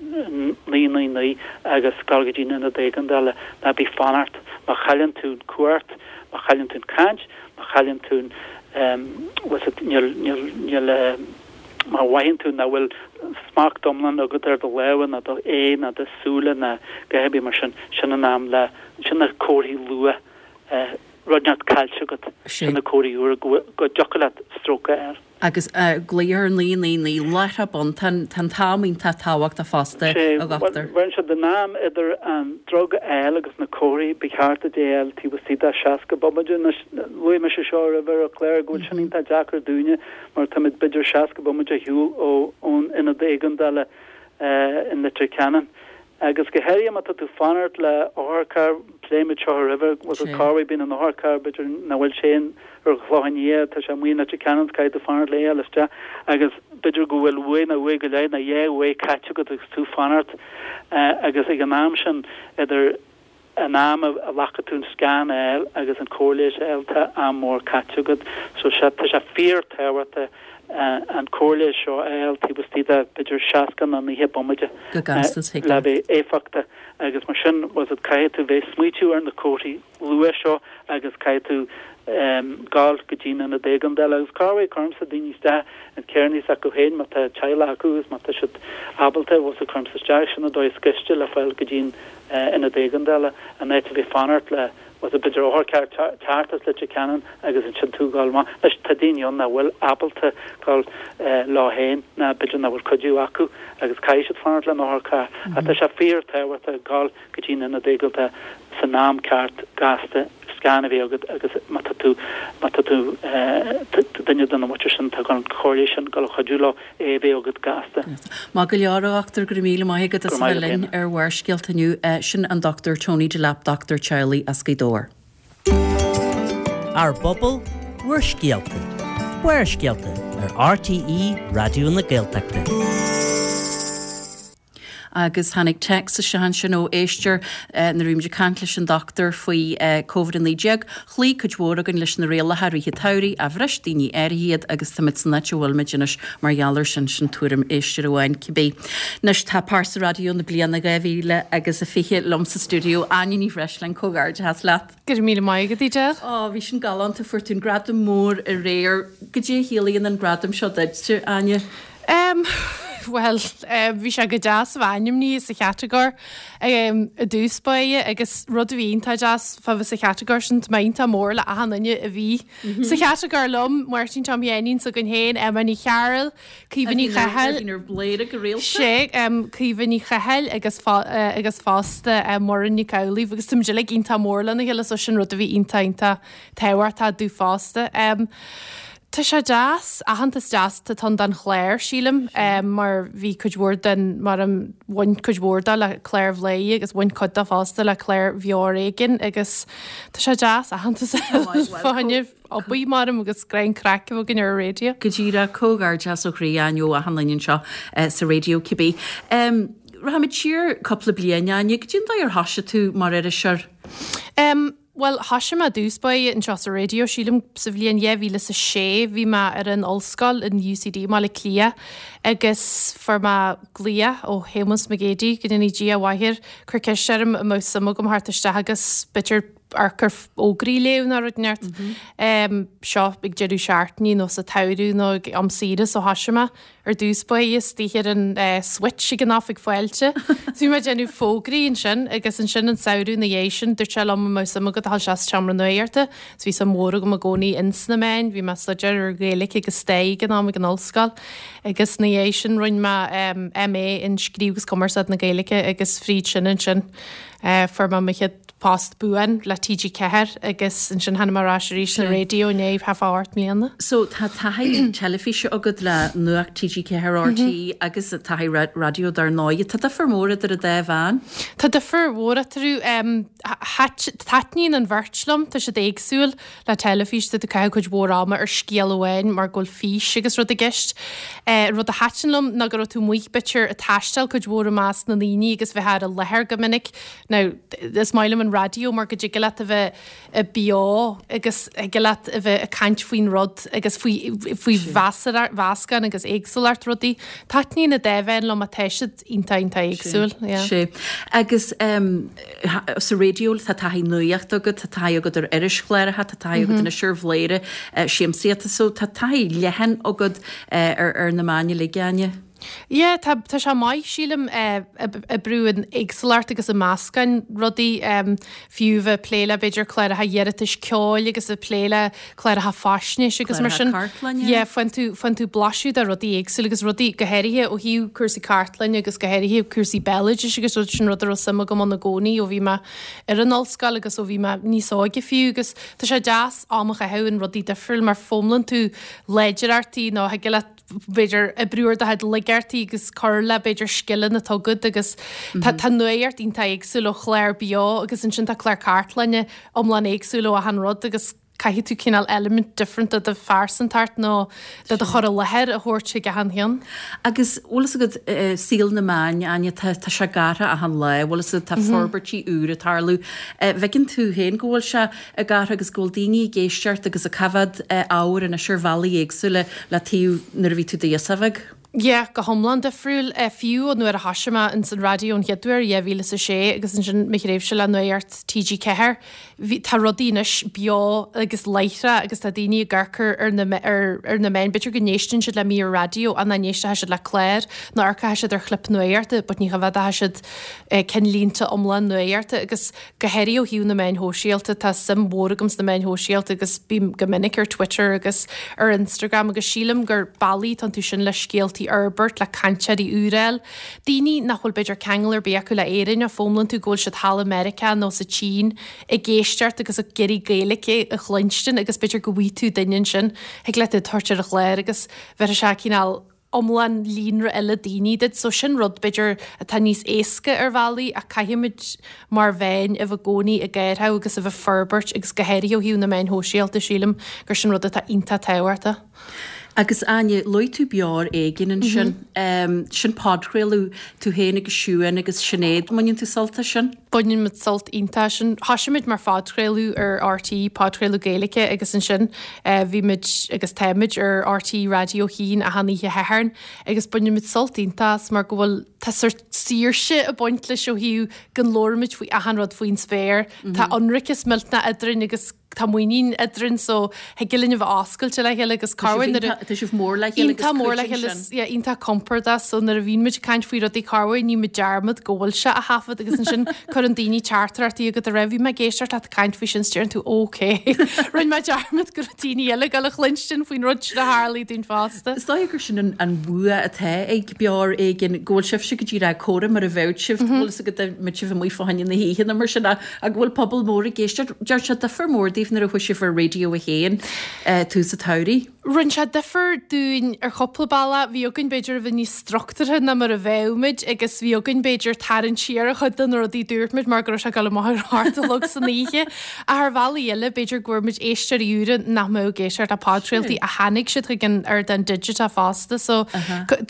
naoi naoi naoi agus dul go dtí an ionad éigeandála. Ná bí ag fanacht. Má chailleann tú an cumhacht, má chailleann tú an caint, má chailleann tú an, bhfuil 'fhios a'd, níl, níl, níl, má mhothaíonn tú nach bhfuil smacht iomlán agat ar do lámha ná do aghaidh ná do súile ná a dhath ar bith mar sin, sin an am le, sin na comharthaí luath. Rud inteacht caillte agat, sin na comharthaí úra go dtiocfadh leat stróc a fháil. Agus glaoch ar naoi naoi naoi láithreach bonn, tá an t-am iontach tábhachtach fosta, a dhochtúir. Bhuel, siad an am idir an drug a fháil agus na comharthaí, ba cheart duit é a fháil taobh istigh de seasca bomaite. Anois, luaigh mise seo roimhe ar an chlár go bhfuil sin iontach deacair dúinne mar táimid b'fhéidir seasca bomaite ar shiúl ón ionad éigeandála in Leitir Ceanainn. Agus go háirithe má tá tú fanacht le otharcharr, phléigh muid seo roimhe, bhfuil 'fhios a'd corruair bíonn an otharcharr, b'fhéidir nach bhfuil sé ar an Chlochán Liath, tá sé amuigh in Leitir Ceanainn, caithfidh tú fanacht le é a fháil isteach agus b'fhéidir go bhfuil uair nó uair go leith nó dhá uair caite agat agus tú fanacht agus ag an am sin idir an am a ghlacfaidh tú an scan a fháil agus an cóir leighis a fháil tá am mór caite agat. So sea, tá sé fíor-tábhachtach an cóir leighis seo a fháil taobh istigh de b'fhéidir seasca nó naocha bomaite Go gasta, is le bheith éifeachtach agus mar sin bhfuil 'fhios a'd caithfidh tú bheith smaoitiú ar na comharthaí luath seo agus caithfidh tú gabháil go dtí an ionad éigeandála agus corruair cuirimse daoine isteach in carrannaí s'acu féin má tá teaghlach acu agus má tá siad ábalta bhfuil 'fhios a'd cuirimse isteach sin an dóigh is gaiste le fáil go dtí an ionad éigeandála in áit a bheith fanacht le bhfuil 'fhios a'd b'fhéidir otharcharr teacht as Leitir Ceanainn agus ansin tú gabháil amach. Anois tá daoine ann nach bhfuil ábalta gabháil leo féin ná b'fhéidir nach bhfuil cuidiú acu agus caithfidh siad fanacht le an otharcharr. Ach tá sé fíor tábhachtach gabháil go dtí an ionad éigeandála san am ceart gasta scan a bheith agat agus má tá tú má tá tú duine den mhuintir sin atá gan cóir leighis sin gabháil a chuidiú leo é a bheith agat gasta. Maith go leor, a dhochtúir, go raibh míle maith agat as a bheith linn ar Bharrscéalta inniu. Sin an Dochtúir Tony Delap, dochtúir teaghlaigh as Gaoth Dobhair. Ár bpobal, bhur scéalta. Barrscéalta ar RTÉ Raidió na Gaeltachta. Agus tháinig téacs isteach ansin ó éisteoir nuair a bhí muid ag caint leis an dochtúir faoi Covid a naoi déag. Chloígh cuid mhór againn leis na rialacha i rith an tsamhraidh, ach bhris daoine áirithe iad agus táimid san áit a bhfuil muid anois mar gheall air sin, sin tuairim éisteora amháin cibé. Anois tá pearsa raidió na bliana dhá mhíle agus a fiche liom sa stiúideo, Áine Ní Bhreisleáin, comhghairdeachas leat. Go raibh míle maith agat, Edel. Ó, bhí sin galánta, fuair tú an gradam mór aréir. Goidé a chiallaíonn an gradam seo duit, Áine? Um, well, um, bhí sé go deas bheith ainmnithe sa chatagóir um, i dtús báire agus rud a bhí iontach deas fá bheith sa chatagóir sin tá mé iontach mór le achan duine a bhí sa chatagóir liom, Máirtín Tom Sheáinín s'againn féin, Emma Ní Chearúil, Caoimhe Ní Chathail, Bhí ar Bhléire go rialta. Sé um, Caoimhe Ní Chathail agus, fa, uh, agus fosta um, Muireann Nic Amhlaoibh agus táimid uilig iontach mór lena chéile so sin rud a bhí iontach iontach tábhachtach domh fosta. Um, Tá sé deas, aitheantas deas atá ann don chlár sílim um, mar bhí cuid mhór den mar um, bhain cuid mhór de le clár Bhladhaire agus bhain cuid de fosta le clár Bheo ar Éigean agus tá sé deas aitheantas fá choinne obair mar agus grean craic againn ar an raidió. Go díreach comhghairdeas ó chroí Áine ó achan duine anseo eh, sa raidió cibé. Um, Rachaimid siar cúpla bliain Áine, goidé an dóigh ar thosaigh tú mar iriseoir. Um, Well, thosaigh mé i dtús báire anseo sa raidió sílim sa bhliain dhá mhíle is a sé bhí mé ar an ollscoil in UCD Baile Átha Cliath agus fuair mé glaoch ó Shéamus Mac Géidigh go ndéana Dia a mhaith air chuir ceist orm an mbeadh suim agam theacht isteach agus b'fhéidir amharc ar fhógraí a léamh nó rud inteacht. Um, seo ag deireadh seachtaine nó sa tsamhradh nó ag am saoire so thosaigh mé ar dtús báire istigh ar an uh, switch ag an oifig fáilte. So bhí mé ag déanamh fógraí ansin agus ansin an samhradh ina dhiaidh sin dúirt sé liom an mbeadh suim agam a dhul isteach sa tseomra nuachta, so bhí suim mhór agam i gcónaí ins na meáin, bhí mé ag staidéar ar Ghaeilge agus stair ag an am ag an ollscoil agus ina dhiaidh sin rinne mé um, MA in scríobh agus cumarsáid na Gaeilge agus fríd sin ansin uh, fuair mé mo chéad post buan le TG Ceathair agus ansin tháinig mé ar ais arís na raidió inné thá ocht mbliana. So tá taithí teilifíse agat le Nuacht TG Ceathair RTÉ agus taithí raidió dar ndóigh. Tá difear mór idir an dá mheán? Tá difear mhór eatarthu um, taitníonn an bheirt liom, tá siad éagsúil le teilifís tá tú ag caitheamh cuid mhór ama ar scéal amháin mar go bhfuil fís agus rud i gceist. Uh, rud a thaitin liom ná go raibh tú amuigh b'fhéidir ag taisteal cuid mhór i measc na ndaoine agus bheith ar an láthair go minic. Now, is maith liom an raidió mar go dtig leat a bheith beo agus tig leat a bheith ag caint faoin rud agus faoi faoi mheascán agus éagsúlacht rudaí. Taitníonn an dá mheán liom tá siad iontach iontach éagsúil. Sé. Agus um, sa raidió tá taithí nuachta agat, tá taithí agat ar irischláracha, tá taithí agat anois ar Bhladhaire uh, siamsaíochta, so tá taithí leathan agat uh, ar, ar na meáin uilig Áine. Yeah, tá tá sé maith sílim oibriú in éagsúlacht agus i meascán rudaí um, fiú bheith plé le b'fhéidir cláracha iarratais ceoil agus a plé le cláracha faisnéis agus mar sin. Yeah, faigheann tú faigheann tú blaiseadh de rudaí éagsúil agus rudaí go háirithe ó thaobh cúrsaí cartlainne agus go háirithe cúrsaí béaloidis agus rud sin rud a raibh suim agam ann i gcónaí ó bhí mé ar an ollscoil agus ó bhí mé níos óige fiú agus tá sé deas am a chaitheamh in rudaí difriúil mar foghlaimíonn tú láidreachtaí nó thig leat b'fhéidir oibriú ar do chuid laigeachtaí agus cur le b'fhéidir scileanna atá agat agus tá tá nuacht iontach éagsúil ó chlár beo agus ansin tá clár cartlainne iomlán éagsúil ó achan rud agus caithfidh tú cineál element different de do phearsantacht nó de do chur i láthair a thabhairt chuig achan cheann. Agus bhfuil fhios agat uh, saol na meán Áine tá tá sé ag athrú achan lá, bhfuil fhios agat tá forbairtí úr ag tarlú. Uh, bhfeiceann tú féin go bhfuil sé ag athrú agus go bhfuil daoine ag éisteacht agus ag coimhéad uh, ábhar anois ar bhealaí éagsúla le taobh nuair a bhí tú i d'aosach bheag. Yeah, go hiomlán difriúil uh, fiú ó nuair a thosaigh mé ins an raidió an chéad uair dhá mhíle is a sé agus ansin mo thréimhse le Nuacht TG Ceathair. Bhí tá rudaí anois beo agus láithreach agus tá daoine ag amharc ar na ar, ar na meáin b'fhéidir go n-éisteann siad le mír raidió an nach n-éistfidh siad le clár nó amharcfaidh siad ar chlip nuachta, but ní choimhéadfaidh siad uh, cinnlínte iomlán nuachta agus go háirithe ó thaobh na meáin shóisialta tá suim mhór agam sna meáin shóisialta agus bím go minic ar Twitter agus ar Instagram agus sílim gur bealaí atá iontu sin le scéaltaí a fhorbairt le cainteoirí úra. Daoine nach bhfuil b'fhéidir ceangal ar bith acu le Éirinn a foghlaimíonn tú go bhfuil siad thall i Meiriceá nó sa tSín ag éisteacht agus ag iarraidh Gaeilge a chluinstin agus b'fhéidir go bhfaighidh tú duine ansin thig leat é a thabhairt ar an chlár agus bheith sé cineál iomlán líonra eile daoine duit, so sin rud b'fhéidir atá níos éasca ar bhealaí ach caithfimid mar mheáin a bheith i gcónaí ag athrú agus a bheith forbairt agus go háirithe ó thaobh na meáin shóisialta sílim gur sin rud atá iontach tábhachtach. Agus Áine, luaigh tú Beo ar Éigean ansin. Um, sin podchraoladh tú féin agus Siún agus Sinéad, mbaineann tú sult as sin? Baineann muid sult iontach as sin. Thosaigh muid mar phodchraoladh ar RTÉ, podchraoladh Gaeilge agus ansin uh, bhí muid agus táimid ar RTÉ Raidió a haon achan oíche Shathairn agus baineann muid sult iontach as mar go bhfuil tá sórt saoirse ag baint leis ó thaobh go labhraímid faoi achan rud faoin spéir. Tá ionracas millteanach eadrainn agus tá muinín eadrainn so thig linn a bheith oscailte le chéile agus corruair nuair a Tá sibh mór le chéile agus Iontach mór le cuidíonn chéile sin. yeah, iontach compordach so nuair a bhíonn muid ag caint faoi rudaí corruair níonn muid dearmad go bhfuil sé á thaifead agus ansin cuireann daoine teachtaireachtaí agat a raibh bhí mé ag éisteacht leat ag caint faoi sin 's deireann tú ok. Rinne mé dearmad go raibh daoine eile ag dul a chluinstin faoin rud sin a tharlaigh dúinn fosta. Is dóigh gur sin an, an bua atá ag Beo Ar Éigean go bhfuil sibhse go díreach ag comhrá mar a bheadh sibh, go bhfuil go mbeadh sibh amuigh fá choinne na hoíche nó mar sin ach go bhfuil pobal mór ag éisteacht. Deir sé difear mór daoibh nuair a chuaigh sibh ar Raidió a haon tús an tsamhraidh. Rinne sé difear dúinn ar chúpla bealach, bhí againn b'fhéidir a bheith níos struchtúrtha ná mar a bheadh muid agus bhí againn b'fhéidir tarraingt siar ar chuid de na rudaí dúirt muid mar go raibh sé ag dul amach ar hocht a chlog san oíche. Ach ar bhealaí eile b'fhéidir go bhfuair muid éisteoirí úra nach mbeadh ag éisteacht le podchraoltaí a tháinig siad chuig an ardán digiteach fosta so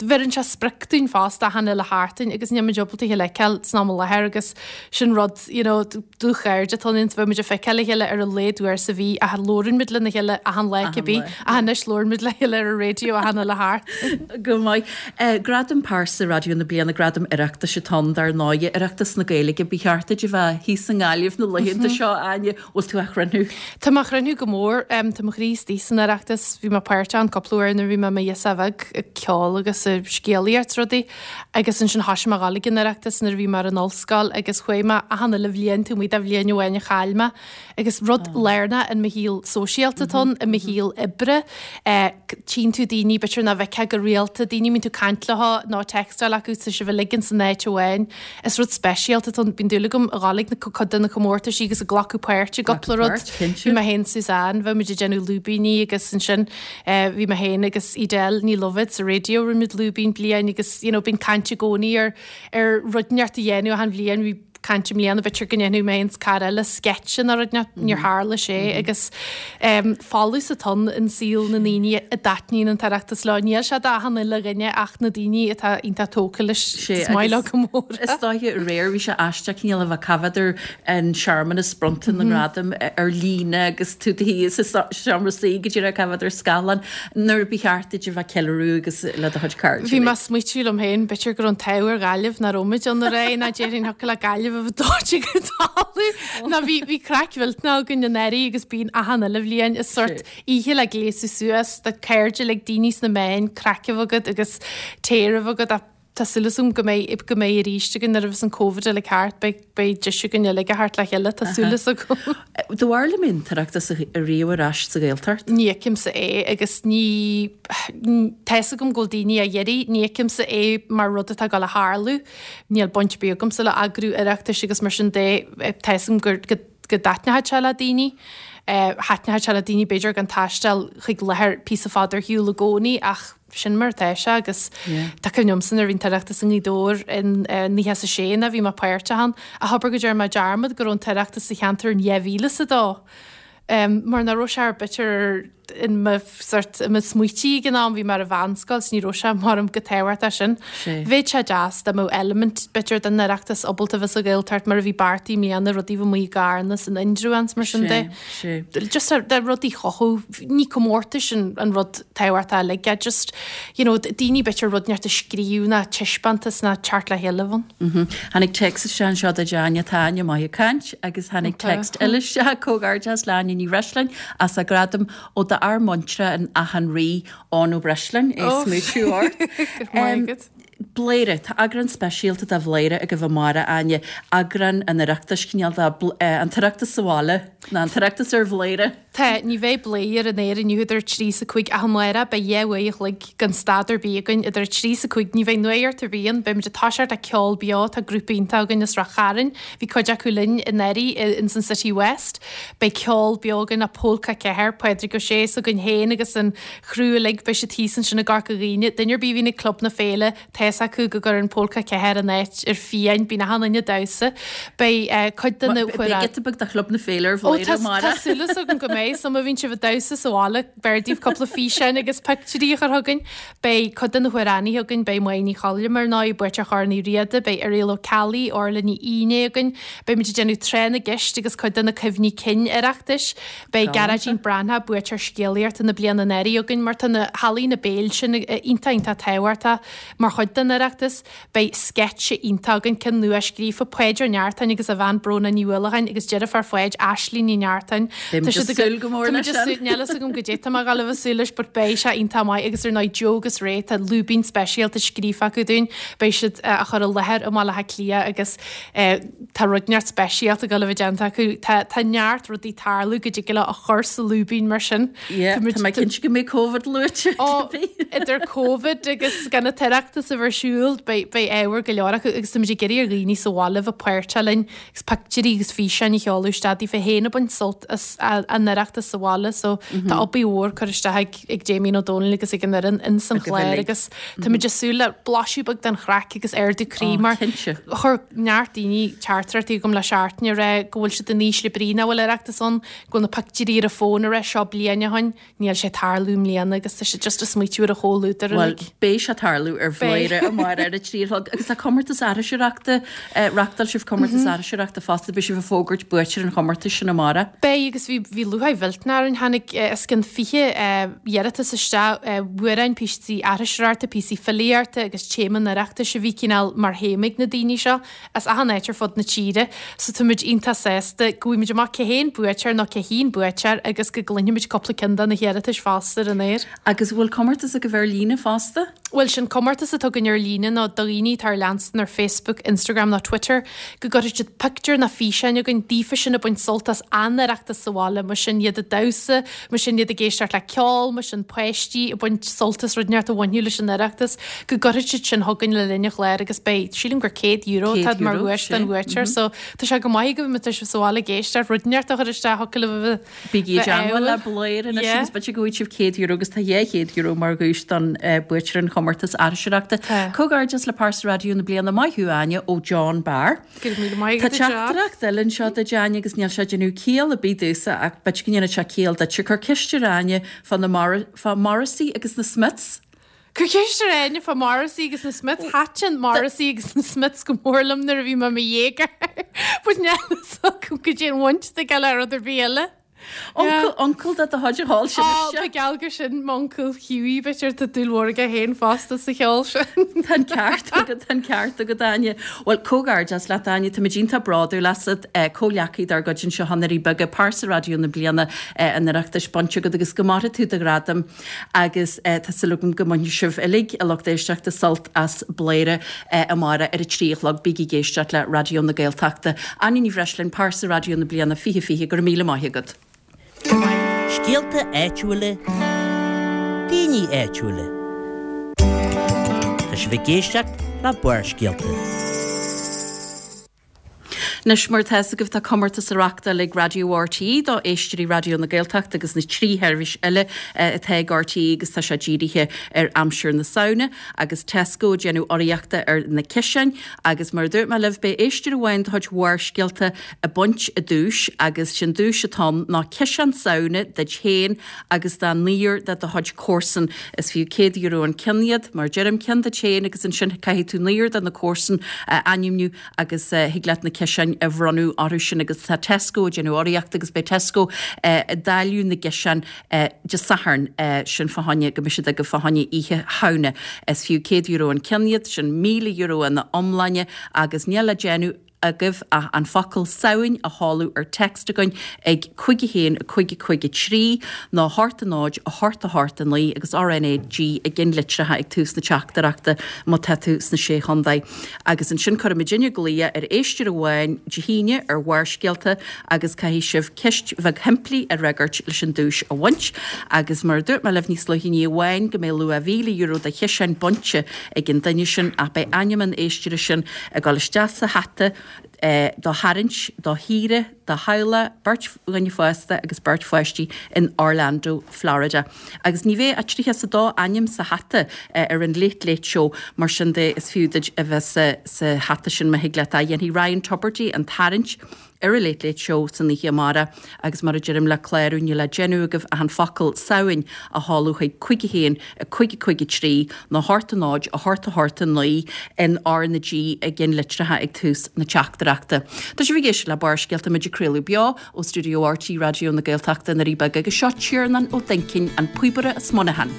bheireann sé sprioc dúinn fosta achan uile sheachtain agus níl muid ábalta a fheiceáil san am i láthair agus sin rud you know, dúchairde atá ann bheith muid ag feiceáil a chéile ar a laghad uair sa mhí ach labhrann muid lena chéile achan lá cibé ach anois labhrann muid le chéile ar an raidió achan uile sheachtain. Go maith. Uh, Gradam Pearsa Raidió na Bliana Gradam Oireachtais atá ann dar ndóigh Oireachtas na Gaeilge ba cheart duit a bheith thíos i nGaillimh na laethanta seo Áine bhfuil tú á chruinniú. Tá mé á chruinniú go mór um, tá mo chroí istigh san Oireachtas bhí mé páirteach ann cúpla uair nuair bhí mé i mo ghirseach bheag ag ceol agus ag scéalaíocht rudaí agus ansin thosaigh mé a ghabháil ag an Oireachtas nuair a bhí mé ar an ollscoil agus chuaigh mé achan uile bhliain taobh amuigh de bhliain amháin a chaill mé agus rud lárnach in mo shaol sóisialta atá ann i mo shaol oibre eh, tchíonn tú daoine b'fhéidir nach bhfeicfeá go rialta daoine mbíonn tú caint leo nó textáil acu tá sibh uilig in san áit amháin. Is rud speisialta atá ann bíonn dúil agam a ghabháil ag na cuid de na comórtaisí agus ag glacadh páirt i gcúpla rud. páirt, cinnte. Bhí mé féin Suzanne, bheith muid ag déanamh lúibíní agus ansin eh, bhí mé féin agus Edel Ní Loibhéad sa raidió rinne muid lúibín bliain agus you know, bíonn caint i gcónaí ar ar rud inteacht a dhéanamh achan bhliain bhí caint i mbliana b'fhéidir go ndéanfadh mé féin cara eile sketch ina rud níor tharla sé agus um, folús atá ann in saol na ndaoine a dtaitníonn an tOireachtas leo. Níl sé d'achan uile dhuine ach na daoine atá iontach tógtha leis Sé, is maith leo agus go mór. Is dóiche aréir bhí sé aisteach cineál a bheith coimhéad an searmanas bronnta na ngradam ar líne agus tú thíos sa seomra suí go dtí coimhéad ar scáileán nuair ba cheart duit a bheith ceiliúradh agus le do chuid cairde. Bhí mé ag smaoitiú liom féin b'fhéidir go raibh an t-ádh ar Ghaillimh nach raibh muid ann aréir ná déarfainn thiocfadh le Gaillimh a bheith dóite go talamh. Ná bhí bhí craic mhillteanach againn anuraidh agus bíonn achan uile bhliain is sort oíche le gléasadh suas do cairde le daoine sna meáin craic a bheith agat agus tae a bheith agat ach tá súil agam go mbeidh go mbeidh arís againn nuair a bheas an Covid uilig thart beidh beidh deis againn uilig a theacht le chéile tá súil agam. Do bhar le mé an tOireachtas a riamh ar ais sa Ghaeltacht? Ní fheicimse é agus ní tá a fhios agam go bhfuil daoine á iarraidh, ní fheicimse é mar rud atá ag dul a tharlú, níl baint ar bith agamsa le eagrú Oireachtais agus mar sin de tá a fhios agam gur go go dtaitneoidh sé le daoine. Uh, Thaitneoidh sé le daoine b'fhéidir gan taisteal chuig láthair píosa fada ar shiúl i gcónaí ach sin mar atá sé agus tá cuimhne agamsa nuair a bhí an tOireachtas i nGaoth Dobhair in uh, naocha is a sé na bhí mé páirteach ann a hobair go deir mé dearmad go raibh an tOireachtas sa cheantar in dhá mhíle is a dó. Um, mar nach raibh sé ar b'fhéidir in mo sort i mo smaointí ag an am bhí mé ar an mheánscoil ní raibh sé mar am go tábhachtach sin. Bheadh sé deas dá mbeadh element b'fhéidir den Oireachtas ábalta bheith sa Ghaeltacht mar a bhí beartaithe i mbliana rudaí bheith amuigh i gCarna san Indreabhán mar sin de. Just de rudaí chothú ní comórtais an, an rud tábhachtach uilig just you know, daoine b'fhéidir rud inteacht a scríobh ná taispeántas ná teacht le chéile ann. Tháinig text isteach anseo do Áine tá Áine maith ag caint agus tháinig text eile isteach comhghairdeas le Áine Ní Bhreisleáin as a gradam ó d'fhear muinteartha an Átha an Rí Eoin Ó Breisleáin é smúitiú ort. Um, Bléire, tá eagrán speisialta de Bhléire ag bheith amárach Áine, eagrán an Oireachtais cineál de an tOireachtas sa bhaile ná an tOireachtas ar Bhléire. Tá ní bheidh Bléire ar an aer inniu idir trí is a cúig ach amárach beidh dhá uair a chloig gan stad ar bith againn idir trí is a cúig ní bheidh nuacht ar bith ann beimid ag toiseacht le ceol beo tá grúpa iontach againn as Ráth Chairn bhí cuid acu linn anuraidh in san City West beidh ceol beo againn a Polca ceathair Pádraig Ó Sé s'againn féin agus an chriú uilig beidh siad thíos ansin i gCorca Dhuibhne duine ar bith a bhíonn ag Club na Féile tá a fhios acu go gcuireann Polca ceathair an áit ar fiáin bíonn achan duine ag damhsa beidh cuid de na Beidh giota beag de Chlub na Féile ar Bhléire amárach. Tá súil agam go mbeidh maith, so má bhíonn sibh ag damhsa sa bhaile, b'fhearr daoibh cúpla físeán agus pictiúirí a chur chugainn. Beidh cuid de na hamhránaithe againn, beidh Máire Ní Choilm ar ndóigh, buaiteoir Chorn Uí Riada, beidh Irial Ó Ceallaigh, Orla Ní Fhínné againn, beidh muid ag déanamh tráth na gceist agus cuid de na cuimhní cinn Oireachtais, beidh Gearóidín Breathnach, buaiteoir scéalaíochta na bliana anuraidh againn, mar tá na healaíona béil sin iontach iontach tábhachtach mar chuid den Oireachtas. Beidh sceitse iontach againn, ceann nua scríofa, Páid Ó Neachtain agus a bhean Bróna Ní Uallacháin agus deirfiúr Pháid, Aisling Ní Neachtain. Beidh muid ag súil go mór leis sin. Níl fhios agam goidé tá mé ag gabháil a bheith ag súil leis but beidh sé iontach maith agus ar ndóigh Joe agus Ray, tá lúibín speisialta scríofa acu dúinn, beidh siad á chur i láthair i mBaile Átha Cliath agus tá rud inteacht speisialta ag gabháil a bheith déanta acu. Tá tá neart rudaí ag tarlú go dtig leo a chur sa lúibín mar sin. Yeah, tá mé cinnte go mbeidh Covid luaite. Ó, idir Covid agus gan an tOireachtas a bheith ar siúl, beidh beidh ábhar go leor acu agus táimid ag iarraidh ar dhaoine sa bhaile a bheith páirteach linn agus pictiúirí agus físeáin a sheoladh isteach daofa féin ag baint sult as an Oireachtas sa bhaile so tá obair mhór curtha isteach ag ag Damien Ó Dónaill agus ag an fhoireann ins an chlár agus táimid ag súil le blaiseadh beag den chraic agus ardú croí mar chuir neart daoine teachtaireachtaí chugam le seachtain ag rá go bhfuil siad in ísle brí nach bhfuil Oireachtas ann, go bhfuil na pictiúirí ar a bhfón ag rá seo bliain ó shin. Níl sé ag tarlú i mbliana agus tá siad just ag smaoitiú ar an chomhluadar Bhuel, uilig. beidh sé ag tarlú ar Beidh. Bhladhaire amárach ar a trí a chlog agus tá comórtas aithriseoireachta, reachtáil sibh comórtas aithriseoireachta fosta, beidh sibh ag fógairt buaiteoir an chomórtais sin amárach. Beidh agus bhí bhí lúcháir mhillteanach orainn, tháinig os cionn fiche iarratas isteach, amhráin, píosaí aithriseoireachta, píosaí filíochta agus téama an Oireachtais a bhí cineál mar théama ag na daoine seo as achan áit ar fud na tíre. So tá muid iontach sásta go bhfaighidh muid amach cé hé an buaiteoir nó cé hí an buaiteoir agus go gcluinfimid cúpla ceann de na hiarratais fosta ar an aer. Agus bhfuil comórtas agaibh ar líne fosta? Bhuel, sin comórtas atá againn ar líne ná do dhaoine atá ár leanstan ar Facebook, Instagram nó Twitter, go gcuirfidh siad pictiúr nó físeán chugainn daofa sin ag baint sult as an Oireachtas sa bhaile, mar sin iad ag damhsa, mar sin iad ag éisteacht le ceol, mar sin páistí ag baint sult as rud inteacht a bhainfeadh leis an Oireachtas, go gcuirfidh siad sin chugainn le linn an chláir agus beidh, sílim gur céad euro atá mar dhuais don bhuaiteoir, so tá sé go maith agaibh má tá sibh sa bhaile ag éisteacht, rud inteacht a chur isteach thiocfadh libh a bheith Bígí i dteangmháil le ádhúil. Bladhaire anois Yeah. agus b'fhéidir go bhfaighidh sibh céad euro agus tá dhá chéad euro mar dhuais don buaiteoir an chomórtais aithriseoireachta. Tá. Comhghairdeas le Pearsa Raidió na bliana maith thú Áine ó John Barr. Go raibh míle maith Tá agat a John. teachtaireacht eile anseo duit Áine agus níl sé ag déanamh ciall ar bith domhsa ach b'fhéidir go ndéanfaidh sé ciall duit. Cuir ceist ar Áine fá na Mor- fá Morrissey agus na Smiths. Cuir ceist ar Áine fá Morrissey agus na Smiths. Thaitin Morrissey agus na Smiths go mór liom nuair a bhí mé i mo dhéagóir. But níl fhios agam goidé an bhaint atá aige le rud ar bith eile. Uncail, uncail de do chuid a sheol sin Ó, isteach. ba gheall gur sin m'uncail Hughie, b'fhéidir tá dúil mhór aige féin fosta sa cheol sin. Tá an ceart agat, tá an ceart agat Áine. Bhuel, comhghairdeas leat Áine, táimid iontach bródúil asat, comhghleacaí dár gcuid anseo i nDoirí Beaga, Pearsa Raidió na bliana an Oireachtais bainte agat agus go maire tú do ghradam agus tá súil agam go mbainfidh sibh uilig, a lucht éisteachta, sult as Bladhaire amárach ar a trí a chlog. Bígí ag éisteacht le Raidió na Gaeltachta. Áine Ní Bhreisleáin, Pearsa Raidió na bliana fiche fiche, go raibh míle maith agat. Scéalta áitiúla, daoine áitiúla. Tá sibh ag éisteacht le Barrscéalta. Anois mar atá fhios agaibh tá comórtas á reachtáil ag Raidió RTÉ do éisteoirí Raidió na Gaeltachta agus na trí sheirbhís eile atá ag RTÉ agus tá sé dírithe ar aimsir na Samhna agus Tesco ag déanamh urraíochta ar na ciseáin agus mar a dúirt mé libh beidh éisteoir amháin de chuid Bharrscéalta ag baint an duais agus sin duais atá ann ná ciseán Samhna duit féin agus do naonúr de do chuid comharsan. Is fiú céad euro an ceann iad mar deirim ceann duit féin agus ansin caithfidh tú naonúr de na comharsan a ainmniú agus thig leat na ciseáin a bhronnadh orthu sin agus tá Tesco ag déanamh urraíocht agus beidh Tesco ag dáileadh na gciseán Dé Sathairn sin fá choinne go mbeidh siad agaibh fá choinne Oíche Shamhna. Is fiú céad euro an ceann iad, sin míle euro ina iomláine agus níl le déanamh agaibh ach an focal Samhain a sheoladh ar text againn ag cúig a haon a cúig a cúig a trí nó a hocht a náid a hocht a hocht a naoi agus RNAG i gceannlitreacha ag tús na teachtaireachta má tá tú sna Sé Chontae. Agus ansin cuirfimidinne glao ar éisteoir amháin Dé hAoine ar Bharrscéalta agus caithfidh sibh ceist bheag shimplí a fhreagairt leis an duais a bhaint. Agus mar a dúirt mé libh níos luaithe ní amháin go mbeidh luach mhíle euro de chiseáin bainte ag an duine sin ach beidh ainm an éisteora sin ag dul isteach sa hata do tharraingt do shaoire do theaghlach, beirt dhuine fásta agus beirt pháistí in Orlando, Florida. Agus ní bheidh ach tríocha is a dó ainm sa hata ar an Late Late Show, mar sin de is fiú duit a bheith sa sa hata sin má thig leat é. Dhéanfaidh Ryan Tubridy an tarraingt ar an Late Late Show san oíche amárach agus mar a deirim le clárú níl le déanamh agaibh ach an focal Samhain a sheoladh chuig cúig a haon, a cúig a cúig a trí nó a hocht a náid, a hocht a hocht a naoi in R na G i gceannlitreacha ag tús na teachtaireachta. Tá sibh ag éisteacht le Barrscéalta muid ag craoladh beo ó stiúideo R T Raidió na Gaeltachta i nDoirí Beaga agus seo Tiarnán Ó Duincín, an píobaire as Muineachán.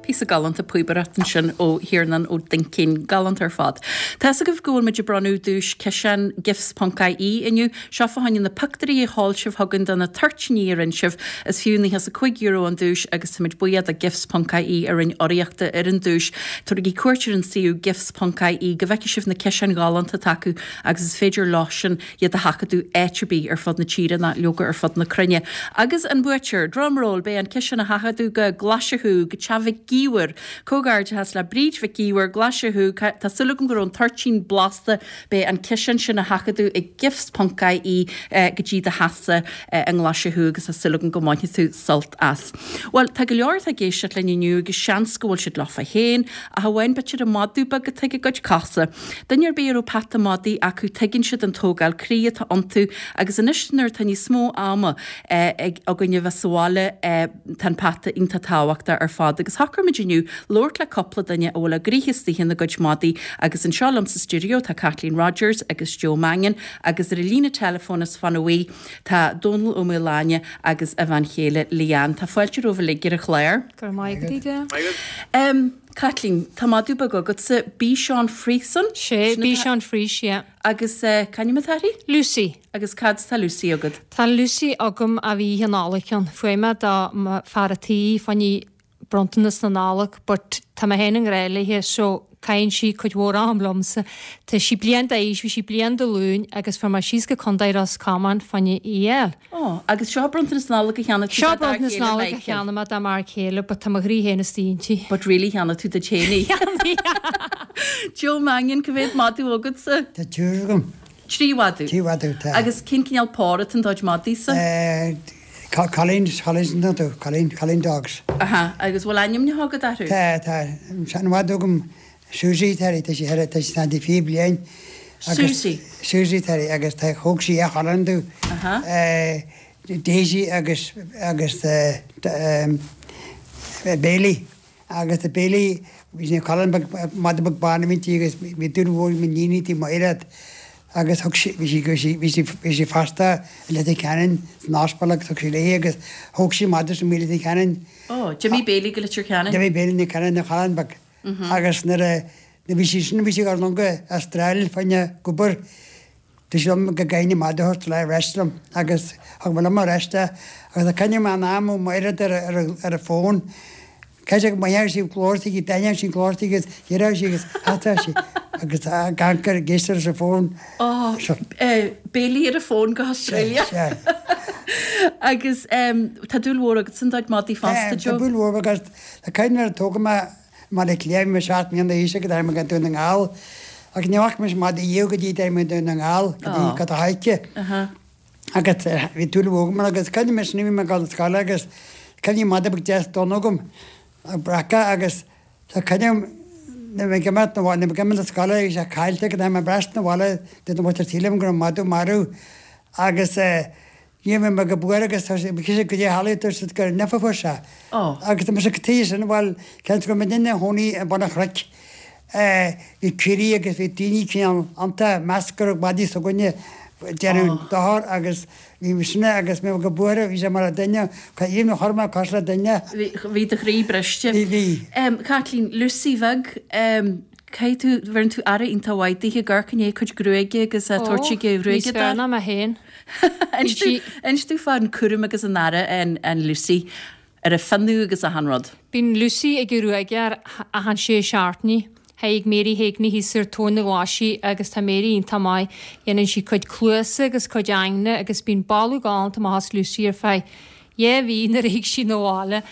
Píosa galánta píobaireacht ansin ó Thiarnán Ó Duincín, galánta ar fad. Tá fhios agaibh go bhfuil muid ag bronnadh duais ciseán Gifts ponc I E inniu. Seo fá choinne na pictiúirí a sheol sibh chugainn de na toirtíní a rinne sibh. Is fiú nócha is a cúig euro an duais agus táimid buíoch do Gifts ponc I E a rinne urraíocht ar an duais. Tabhairigí cuairt ar an suíomh Gifts ponc I E go bhfeicfidh sibh na ciseáin ghalánta atá acu agus is féidir leosan iad a sheachadadh áit ar bith ar fud na tíre ná leoga ar fud na cruinne. Agus an buaiteoir, drumroll, beidh an ciseán á sheachadadh go Glaise Chú, go teach Mhic Íomhair. Comhghairdeachas le Bríd Mhic Íomhair, Glaise Chú, tá súil agam go raibh an toirtín blasta, beidh an ciseán sin á sheachadadh ag Gifts ponc I E go dtí do theachsa i nGlaise Chú agus tá súil agam go mbainfidh tú sult as. Bhuel, tá go leor atá ag éisteacht linn inniu agus seans go bhfuil siad leofa féin, ach amháin b'fhéidir an madadh beag atá ag a gcuid cosa. Duine ar bith a raibh peata madaidh acu tuigeann siad an tógáil croí atá iontu agus anois nuair atá níos mó ama ag againn a bheith sa bhaile tá an peata iontach tábhachtach ar fad agus shocraigh muid inniu labhairt le cúpla duine a bhfuil a gcroíthe istigh ina gcuid madaí agus anseo liom sa stiúideo tá Kathleen Rogers agus Joe Mannion agus ar an líne teileafóin as Fanaí tá Dónal Ó Maoláine agus a bhean chéile Leanne. Tá fáilte romhaibh uilig ar an chlár. Go raibh maith agat. Um, Kathleen, tá madadh beag agatsa Bichon Frise? Sé Bichon Frise, yeah. Agus uh, c'ainm atá uirthi? Lucy. Agus cad tá Lucy agat? Tá Lucy agam a bhí an álacean. Fuair mé dá fear a tí fá choinne bronntanas na Nollag, but tá mé féin i ngrá léithe so caitheann sí cuid mhór am liomsa. Tá sí bliain d'aois, bhí sí bliain Dé Luain agus fuair mé síos go Contae Ros Comáin fá choinne í a fháil. Oh, agus seo bronntanas na Nollag a cheannaigh tú Seo bronntanas na Nollag a cheannaigh mé dá m'fhear céile, but tá mo chroí féin istigh inti. But really cheannaigh tú duit féin í. Joe Mannion, cá mhéad madadh agatsa? Tá triúr agam. Trí mhadadh? Trí mhadadh, tá. Agus cén cineál pór atá in do chuid madaí-sa? Eh, Colleen, Colleen, nó Colleen, Colleen Dogs. Aha, agus bhfuil ainmneacha agat orthu? Tá, tá. An madadh agam Susie tá tá sí tá sí tá fiche bliain. Susie? Susie tá agus tá thug sí a chalann domh. Daisy agus agus Bailey. Agus tá Bailey bhí sí cailín madadh beag bán a bhí inti agus bhí dúil mhór ag m'iníon inti Máiread. Agus thug sí bhí sí bhí sí bhí sí fosta i Leitir Ceanainn san ospidéal agus thug sí léi agus thóg sí madadh sa Leitir Ceanainn. Ó, d'imigh Bailey go Leitir Ceanainn? D'imigh Bailey na Ceanainn na chalann beag. Agus nuair a bhí sí sin bhí sí ag dul go Astráil fá choinne obair. Dúirt sí liom go gcaithfinn an madadh a thabhairt le ar ais liom agus thug mé liom ar ais é agus a coinne mé an am ó Mháiread ar ar ar an bhfón. Cé go mbeadh sí glóirtí go dtaitneodh sí glóirtí agus dheireadh sí agus theastaigh sí agus tá gancar ag éisteacht ar an bhfón. Ó, Bailey ar an bhfón go hAustralia. Agus tá dúil mhór agat san do chuid madaí fosta, Joe? Tá dúil mhór agus tá cuimhne nuair a tógadh mé i mBaile Átha Cliath, bhí mé seacht mbliana d'aois agus d'éirigh mé go Dún na nGall. Ach ní fhaca mise madadh riamh go dtí d'éirigh mé Dún na nGall, go dtí go Thaidhce. Agus bhí dúil mhór agam agus cuimhním anois bhí mé ag dul na scoile agus cuimhním madadh beag deas donn agam, breacadh agus tá cuimhním nuair a bhí mé ag imeacht na bhaile, nuair a bhí mé ag imeacht na scoile bhí sé caillte go dtáinig mé ar ais na bhaile dúirt an mhuintir tí liom go raibh madadh marbh agus ní raibh mé go buartha agus tá sé bhí go dtí tharlaigh dúirt siad gur nimh a fuair sé. Agus tá mise go tuighe sin bhuel cén go raibh muid ina chónaí i mbun an Chnoic bhí caoirigh agus bhí daoine cineál iontu meas go raibh madaí s'againne ag déanamh dochar agus bhí sinne agus mé go buartha bhí sé mar a duine even chuir mé cos le duine. Bhí do chroí briste. Bhí bhí. Caitlín, Lucy bheag, caithfidh tú, bheireann tú aire iontach mhaith dithe, ag amharc i ndiaidh a cuid gruaige agus a tabhairt chuig an Ó, níos ghruaigeadóir. fearr ná mé féin. Inis tú, inis domh fán cúram agus an aire an, an Lucy ar a fionnadh agus achan rud. Bíonn Lucy ag an ghruaigeoir achan sé seachtainí. Thaidhg Mary Heagney thíos ar Tóin na Glaise agus tá Mary iontach maith. Dhéanann sí cuid cluasa agus cuid aigne agus bíonn boladh galánta amach as Lucy ar feadh dhá mhí nuair a thig sí 'na bhaile.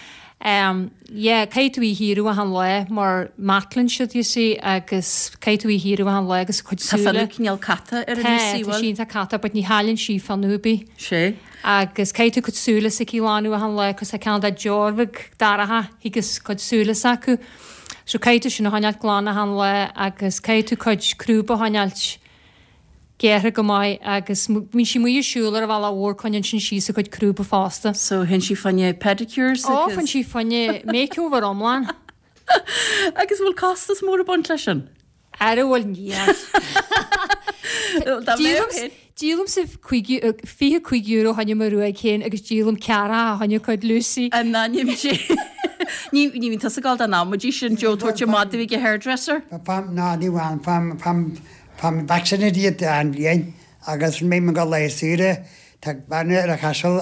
Um, yeah, caithfidh tú í shaoradh achan lá mar matlann siad, you see, agus caithfidh tú í shaoradh achan lá agus a cuid Tá súile. fionnadh cineál cata ar an Tá, Lucy, tá bhfuil? sí iontach cata, but ní chailleann sí fionnadh ar bith. Sé. Agus caithfidh tú cuid súile s'aici a ghlanadh achan lá, cos tá ceann dá deoir bheag dorcha agus cuid súile s'acu. So caithfidh tú sin a choinneáilt glan achan lá agus caithfidh tú cuid crúb a choinneáilt gearrtha go maith agus bíonn sí amuigh ag siúl ar an bhealach mhór coinníonn sin síos a cuid crúba fosta. So théann sí fá choinne pedicures Ó, agus. faigheann sí fá choinne makeover iomlán. Agus bhfuil costas mór ag baint leis sin? Ara bhfuil níl. Dá mbeadh féin. Díolaimse fiche cúig euro fá choinne mo ghruaig féin agus díolaim ceathracha fá choinne cuid Lucy. In ainm Dé. Ní ní bhíonn tusa ag gabháil don amaidí sin Joe tabhairt an madadh ag an hairdresser? Fam ná ní bhain fam fam fam vaccinated iad an bhliain agus mé go le saoire tá bean ar an Chaiseal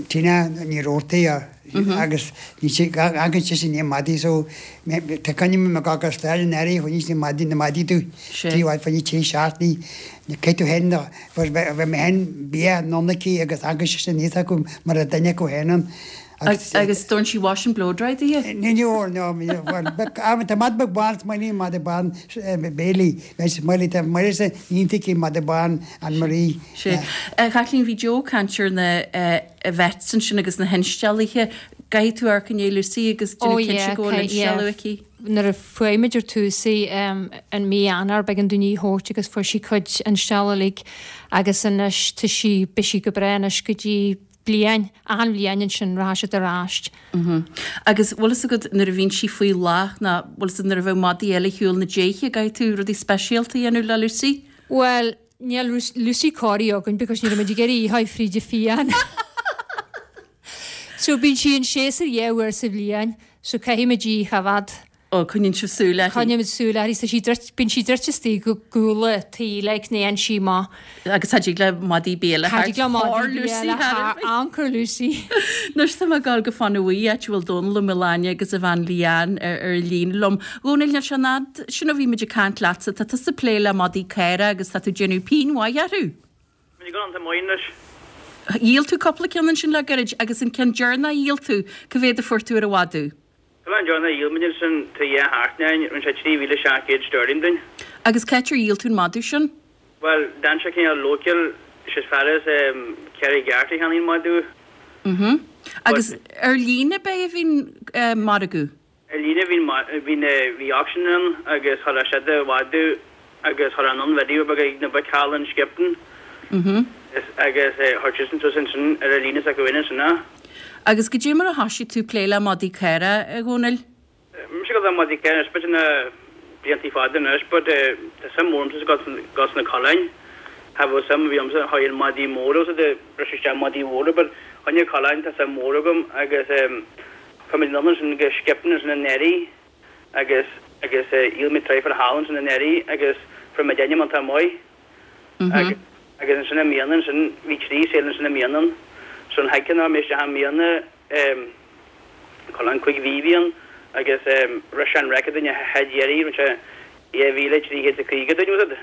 Tina Ní Roarty agus ní sé agus sé sin madaí so tá coinne me go go stáil an airí chuin sin madaí na madaí tú Sé. tí fá trí seachtaine cé tú hen bheith mé hen bia nonnaí agus agus sé sin níos acu mar a duine go héan Agus agus dónn sí wash and blow dry di? Ní ní no tá madadh beag bán mai madadh bán Bailey mai tá mai se nítí madadh bán an Marie. Sé. Caitlín bhí Joe ag caint ar na vets ansin agus na hinsteallaithe. Caithfidh tú amharc i ndiaidh Lucy agus Oh, déanamh cinnte yeah, go bhfuil okay, yeah. instealladh aici. Nuair a fuair muid ar tús í an mí Eanáir b'éigean dúinn í a thabhairt agus fuair sí cuid instealladh uilig agus anois tá sí beidh sí go breá anois go dtí bliain, achan bhliain ansin rachaidh siad ar ais. Agus bhfuil fhios agat nuair a bhíonn sí faoi bhláth ná bhfuil fhios agat nuair a bheadh madaí eile ar shiúl na déithe, an gcaithfidh tú rudaí speisialta a dhéanamh le Lucy? Bhuel, níl Lucy corraithe againn because ní raibh muid ag iarraidh í a sháith fríd an phian. So bíonn sí in séasúr dhá uair sa bhliain, so caithfidh muid í a choimhéad. Ó, coinníonn sibh súil uirthi. Coinnímid súil uirthi. Tá sí druid, bíonn sí druidte istigh go gcúl an tí, like, ní théann sí amach. Agus cha dtig le madaí béal a Cha dtig le thabhairt madaí thar béal Lucy a thar ar thar bith. anchor Lucy. Anois tá mé ag dul go Fána Bhuí, áit a bhfuil Dónal Ó Maoláine agus a bhean Leanne ar ar an líne liom. Dhónaill, níl sé an fhad sin ó bhí muid ag caint leatsa, tá tusa ag plé le madaí caora agus tá tú ag déanamh pínn mhaith orthu. Tá muid ag dul iontach maith anois. Dhíol tú cúpla ceann ansin le gairid agus an ceann deireanach a dhíol tú, cá mhéad a fuair tú ar an mhadadh? Coileán deireanach a dhíol muid ansin tá dhá sheachtain ó shin, rinne sé trí mhíle seacht gcéad sterling dúinn. Agus c'áit ar dhíol tú an madadh sin? Bhuel, d'fhan sé cineál local, sé as far as Carraig Airt a cheannaigh an madadh. Mhm. Agus ar líne ab é a bhí an margadh? Ar líne bhí an, bhí na, bhí auction ann agus chuir siad an madadh agus chuir an video beag ag na boic thall in Skipton. Mhm. Agus chuir siadsan suas ansin ar an líne s'acu féin ansin é. Agus goidé mar a thoisigh tú plé le madaí caora, a Dhónaill? Mise ag dul le madaí caora anois b'fhéidir na bliantaí fada anois but tá suim mhór agamsa dos na coileáin. Cha bhfuil suim a bhí agamsa chuaigh an madaí mór os ag briseadh isteach madaí mhóra but choinne coileáin tá suim mhór agam agus chuaigh muid anonn ansin go Skipton ansin anuraidh agus agus dhíol muid traidhfil thall ansin anuraidh agus fuair muid ainm iontach maith. Agus agus ansin i mbliana ansin bhí trí sale ansin i mbliana ann. So an chéad cheann a raibh mé isteach i mbliana em coileán cúig mhí a bhí ann agus em rith sé an record dúinn an chéad iarraidh rinne sé dhá mhíle trí chéad is a caoga dúinn was it?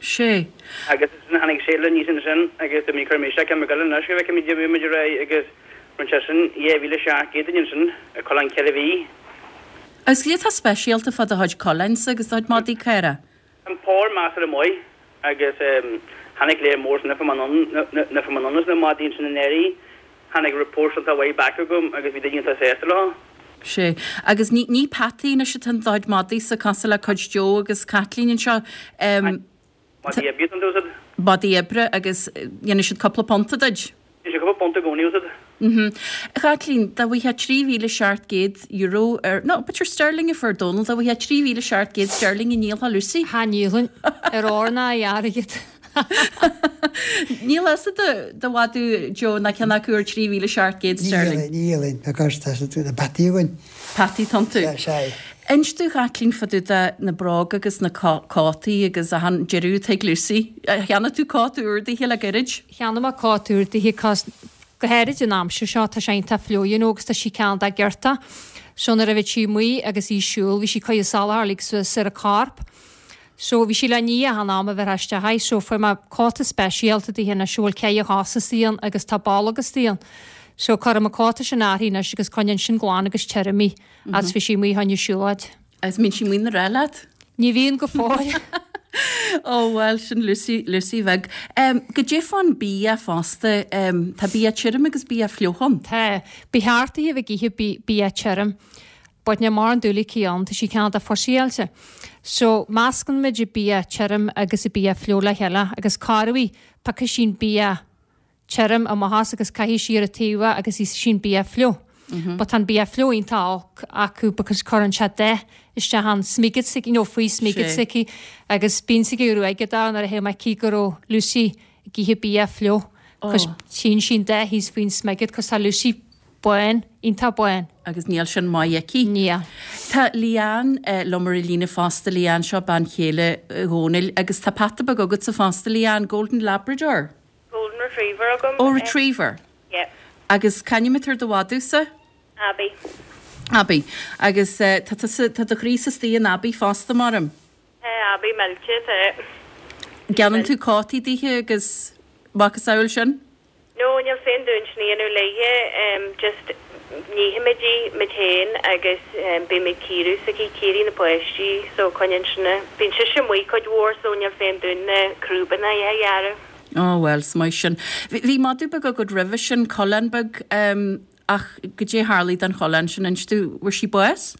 Sé. Agus ansin tháinig sale aníos ansin agus do mí chuir mé isteach ceann beag eile anois go bhfeicfimid a bhí muid ar aghaidh agus rinne sé sin dhá mhíle seacht gcéad dúinn ansin coileán ceithre mhí. Agus cad é atá speisialta fá do chuid coileáin-sa agus do chuid madaí caora? An pór measartha maith agus tháinig léir mór san oifig anonn as na madaí ansin anuraidh. Tháinig reports iontach mhaith back agam agus bhí daoine iontach sásta leo. Sé. Agus ní ní peataí anois atá in do chuid madaí-sa cosúil le cuid Joe agus Caitlín anseo. Madaí oibre atá iontu, is ea? Madaí oibre agus dhéanfaidh siad cúpla punta duit. Déanann siad cúpla punt i gcónaí, is ea? Mhm. A Chaitlín, dá bhfaighfeá trí mhíle seacht gcéad euro ar, no, b'fhéidir sterling a fuair Dónal, dá bhfaighfeá trí mhíle seacht gcéad sterling an ndíolfá Lucy? Cha ndíolfainn. Ar ór ná ar airgead. Níl fhios a'd do mhadadh Joe ná ceann acu ar trí mhíle seacht gcéad sterling. Ní dhíolfainn, because tá na peataí againn. Peataí atá iontu. Sea, sea. Inis domh a Chaitlín fá dtaobh de na bróga agus na cótaí agus achan deireadh atá ag Lucy. Cheannaigh tú cóta úr dithe le gairid? Cheannaigh mé cóta úr dithe cos go háirid an aimsir seo tá sé iontach fliuch you know agus tá sí cineál de giorta. So nuair a bhí sí amuigh agus í ag siúl bhí sí ag cur an salachar uilig suas ar a corp. So bhí sí le ní achan am a bheith isteach aici so fuair mé cóta speisialta dithe anois a bhfuil ceithre chos istigh ann agus tá bolg istigh ann. So cuirim an cóta sin uirthi anois agus coinníonn sin glan agus tirim í agus bhí sí amuigh fá choinne siúlóid. Agus mbíonn sí amuigh ina rá leat? Ní bhíonn go fóill. Ó bhuel, sin Lucy, Lucy bheag. Em, goidé fán bia fosta, em, tá bia tirim agus bia fliuch ann? Tá. Ba cheart di a bheith ag ithe bi, bia tirim. But níl mórán dúil aici ann, tá sí cineál de fussyáilte. So, meascann muid an bia tirim agus an bia fliuch le chéile agus corruair piocfaidh sí an bia tirim amach as agus caithfidh sí ar a taobh é agus íosfaidh sí an bia fliuch. But tá an bia fliuch iontach olc acu because cuireann sé dath isteach an smigid s'aici, you know, faoi smigid s'aici agus bíonn sí ag ruaigeadh dó nuair a théann mé aici go raibh Lucy ag ithe bia fliuch cos tchíonn sí an dath thíos faoin smigid cos tá Lucy bán, iontach bán. Agus níl sin maith aici. Níl. Tá Leanne liom ar an líne fosta, Leanne, seo bean chéile Dhónaill agus tá peata beag agatsa fosta, Leanne, Golden Labrador. Golden Retriever agam. Oh, Retriever. Yeah. Agus c'ainm atá ar do mhadadh-sa? Abby. Abby. Agus tá tusa, tá do chroí-sa istigh in Abby fosta, maram? Tá Abby millte, tá. Déanann tú cótaí dithe agus macasamhail sin? No, níl féin dúinn sin a dhéanamh léithe, just nífimid í muid féin agus bímid cíoradh s'aici, cíoradh na páistí so coinníonn sin, bíonn sise amuigh cuid mhór so níl féin dúinn na crúbanna a ghearradh. Ó bhuel, is maith sin. Bhí madadh beag agat roimhe sin, coileán beag, ach goidé a tharlaigh don choileán sin, inis domh, bhfuair sí bás?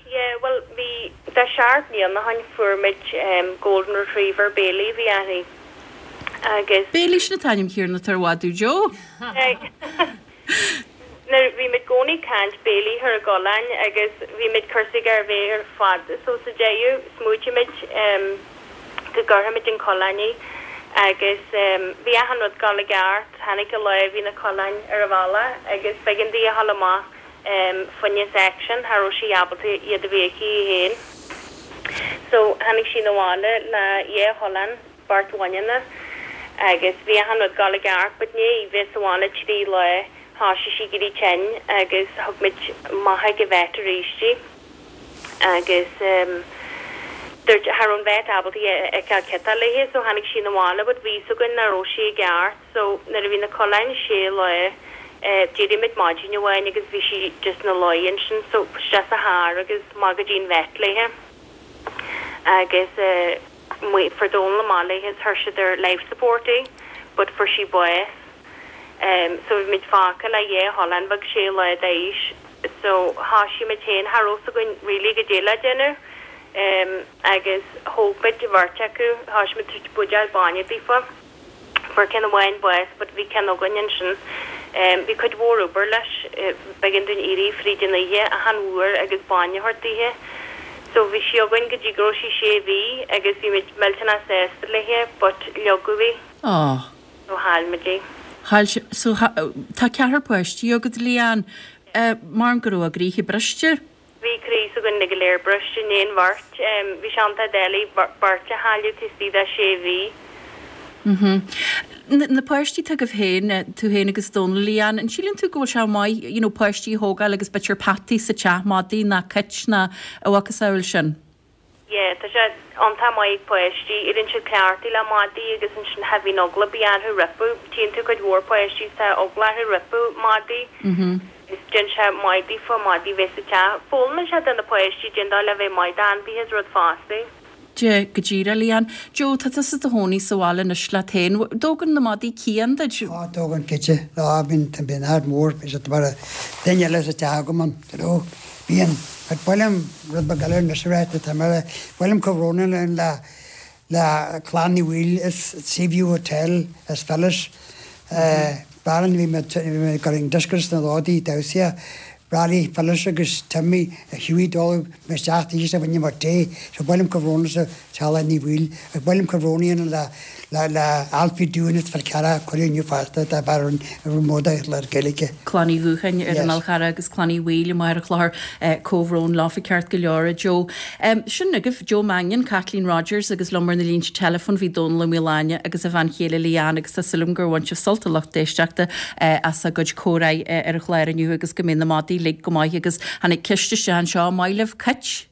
Yeah, bhuel bhí, de seacht mbliana ó shin fuair muid golden retriever Bailey a bhí uirthi Agus. Béilí, sin an t-ainm céanna atá ar mhadadh Joe. Nuair bhí muid i gcónaí ag caint béilí ar an gcoileán agus bhí muid cúrsaí ar bheith ar fad so sa deireadh smaoitigh muid go gcuirfimid an coileán í agus bhí achan rud dul i gceart, tháinig an lá bhí na coileáin ar an bhealach agus b'éigean di a dhul amach fá choinne section, cha raibh sí ábalta iad a bheith aici í féin. So tháinig sí 'na bhaile le dhá choileán beirt bhaineanna agus bhí achan rud dul i gceart but i ndiaidh bheith sa bhaile trí lá thoisigh sí ag éirí tinn agus thug muid amach ag an vet arís í agus ehm dúirt cha raibh an vet ábalta a fheiceáil cad tá léi so tháinig sí 'na bhaile but bhí fhios againn nach raibh sí i gceart so nuair a bhí na coileáin sé lá eh d'éirigh muid maidin amháin agus bhí sí just ina luí ansin so isteach sa charr agus amach go dtí an vet léi agus eh Fuair Dónal amach léi is chuir siad ar life support í but fuair sí bás. So bhí muid fágtha le dhá choileán bheag sé lá d'aois so thoisigh muid féin, cha raibh 's againn really goidé le déanamh agus thóg muid an bheirt acu, thoisigh muid tabhairt buidéal bainne daofa. Fuair ceann amháin bás but bhí ceann againn ansin. Bhí cuid mhór obair leis, b'éigean dúinn éirí fríd an oíche achan uair agus bainne a thabhairt daoithe. So bhí sí againn go dtí go raibh sí sé mhí agus bhí muid millteanach sásta léithe but leogadh í. Aww. So chaill muid í. Chaill sí, so tá ceathrar páistí agat Leanne, mar go raibh a gcroíthe briste? Bhí croí s'againn go léir briste, i ndiaidh an bheirt. Bhí sé iontach doiligh beirt a chailleadh taobh istigh de sé mhí. Na páistí atá agaibh féin, tú féin agus Dónal, Leanne, an síleann tú go bhfuil sé maith, you know, páistí a thógáil agus b'fhéidir peataí sa teach, madaí ná cait ná a mhacasamhail sin? Yeah, tá sé iontach maith ag páistí, éiríonn siad cleachtaithe le madaí agus ansin cha bhíonn eagla ar bith orthu roimpu, tchíonn tú cuid mhór páistí is tá eagla orthu roimh madaí is déanann sé maith daofa madaí bheith sa teach. Foghlaimíonn sé do na páistí cén dóigh le bheith maith d'ainmhithe is rud fosta. Dia, go díreach, Leanne. Joe, tá tusa i do chónaí sa bhaile anois leat féin. Dtógann na madaí cian duit? Á, tógann cinnte. Á, bíonn, bíonn ard mór, bíonn siad mar duine eile sa teach agam ann, you know. Bíonn, ach ba mhaith liom rud beag eile anois a rá, tá mé, ba mhaith liom comhbhrón a dhéanamh le, le Clann Uí Bhaoill as Seaview Hotel as Phyllis. Baron, bhí mé, bhí mé ag dul ag dioscúrsa sna Lódaí, damhsaí, Raleigh, Phyllis agus Timmy Hughie dul isteach thíos a bhain mar tae so ba mhaith liom comhbhrón le teaghlach Ní Bhaoill agus ba mhaith liom comhbhrón a dhéanamh le le le Alfie Doohan as Fál Carrach a cuireadh inniu fosta de bharr an móide le Gaeilge. Clann Uí Dhúcháin ar an Yes. Fhál Charrach agus Clann Uí Bhaoill i Machaire Chlochair comhbhrón leofa ceart go leor a Joe. Sin agaibh Joe Mannion, Caitlín Rogers agus liom ar na línte teileafóin bhí Dónal Ó Maoláine agus a bhean chéile Leanne agus tá súil agam gur bhain sibh sult a lucht éisteachta as a gcuid comhráidh ar an chlár inniu agus go mbeidh na madaí uilig go maith agus tháinig ceist isteach anseo, maith libh cait?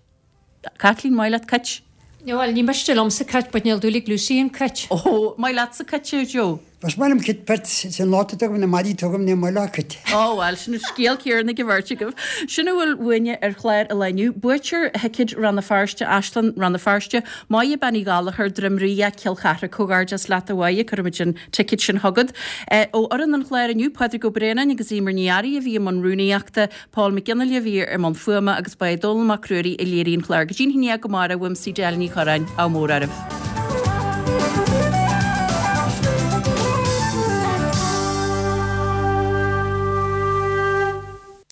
Caitlín, maith leat cait? Bhuel, ní miste liomsa cait but níl dúil ag Lucy in cait. Ó, maith leatsa cait, a Joe? Is maith liom cait but sin lot a tugaim na madaí tugaim ní maith leo cait. Ó bhuel, sin an scéal céanna ag an bheirt agaibh. Sin a bhfuil uainne ar chlár an lae inniu. Buaiteoir thicéid Rann na Feirste, Áislann Rann na Feirste, Máire Bean Uí Ghallchóir, Droim Ríogh, Cill Chartha. Comhghairdeas leat a Mháire, cuirfimid an ticéad sin chugat. Ó fhoireann an chláir inniu, Pádraig Ó Braonáin agus Eimear Ní Fhearraigh a bhí i mbun rúnaíochta, Paul Mac Fhionnghaile a bhí i mbun fuaime agus ba é Dónall Mac Ruairí a léirigh an clár. Go dtí an haon dhéag amárach, uaimse Edel Ní Chorráin, ádh mór oraibh.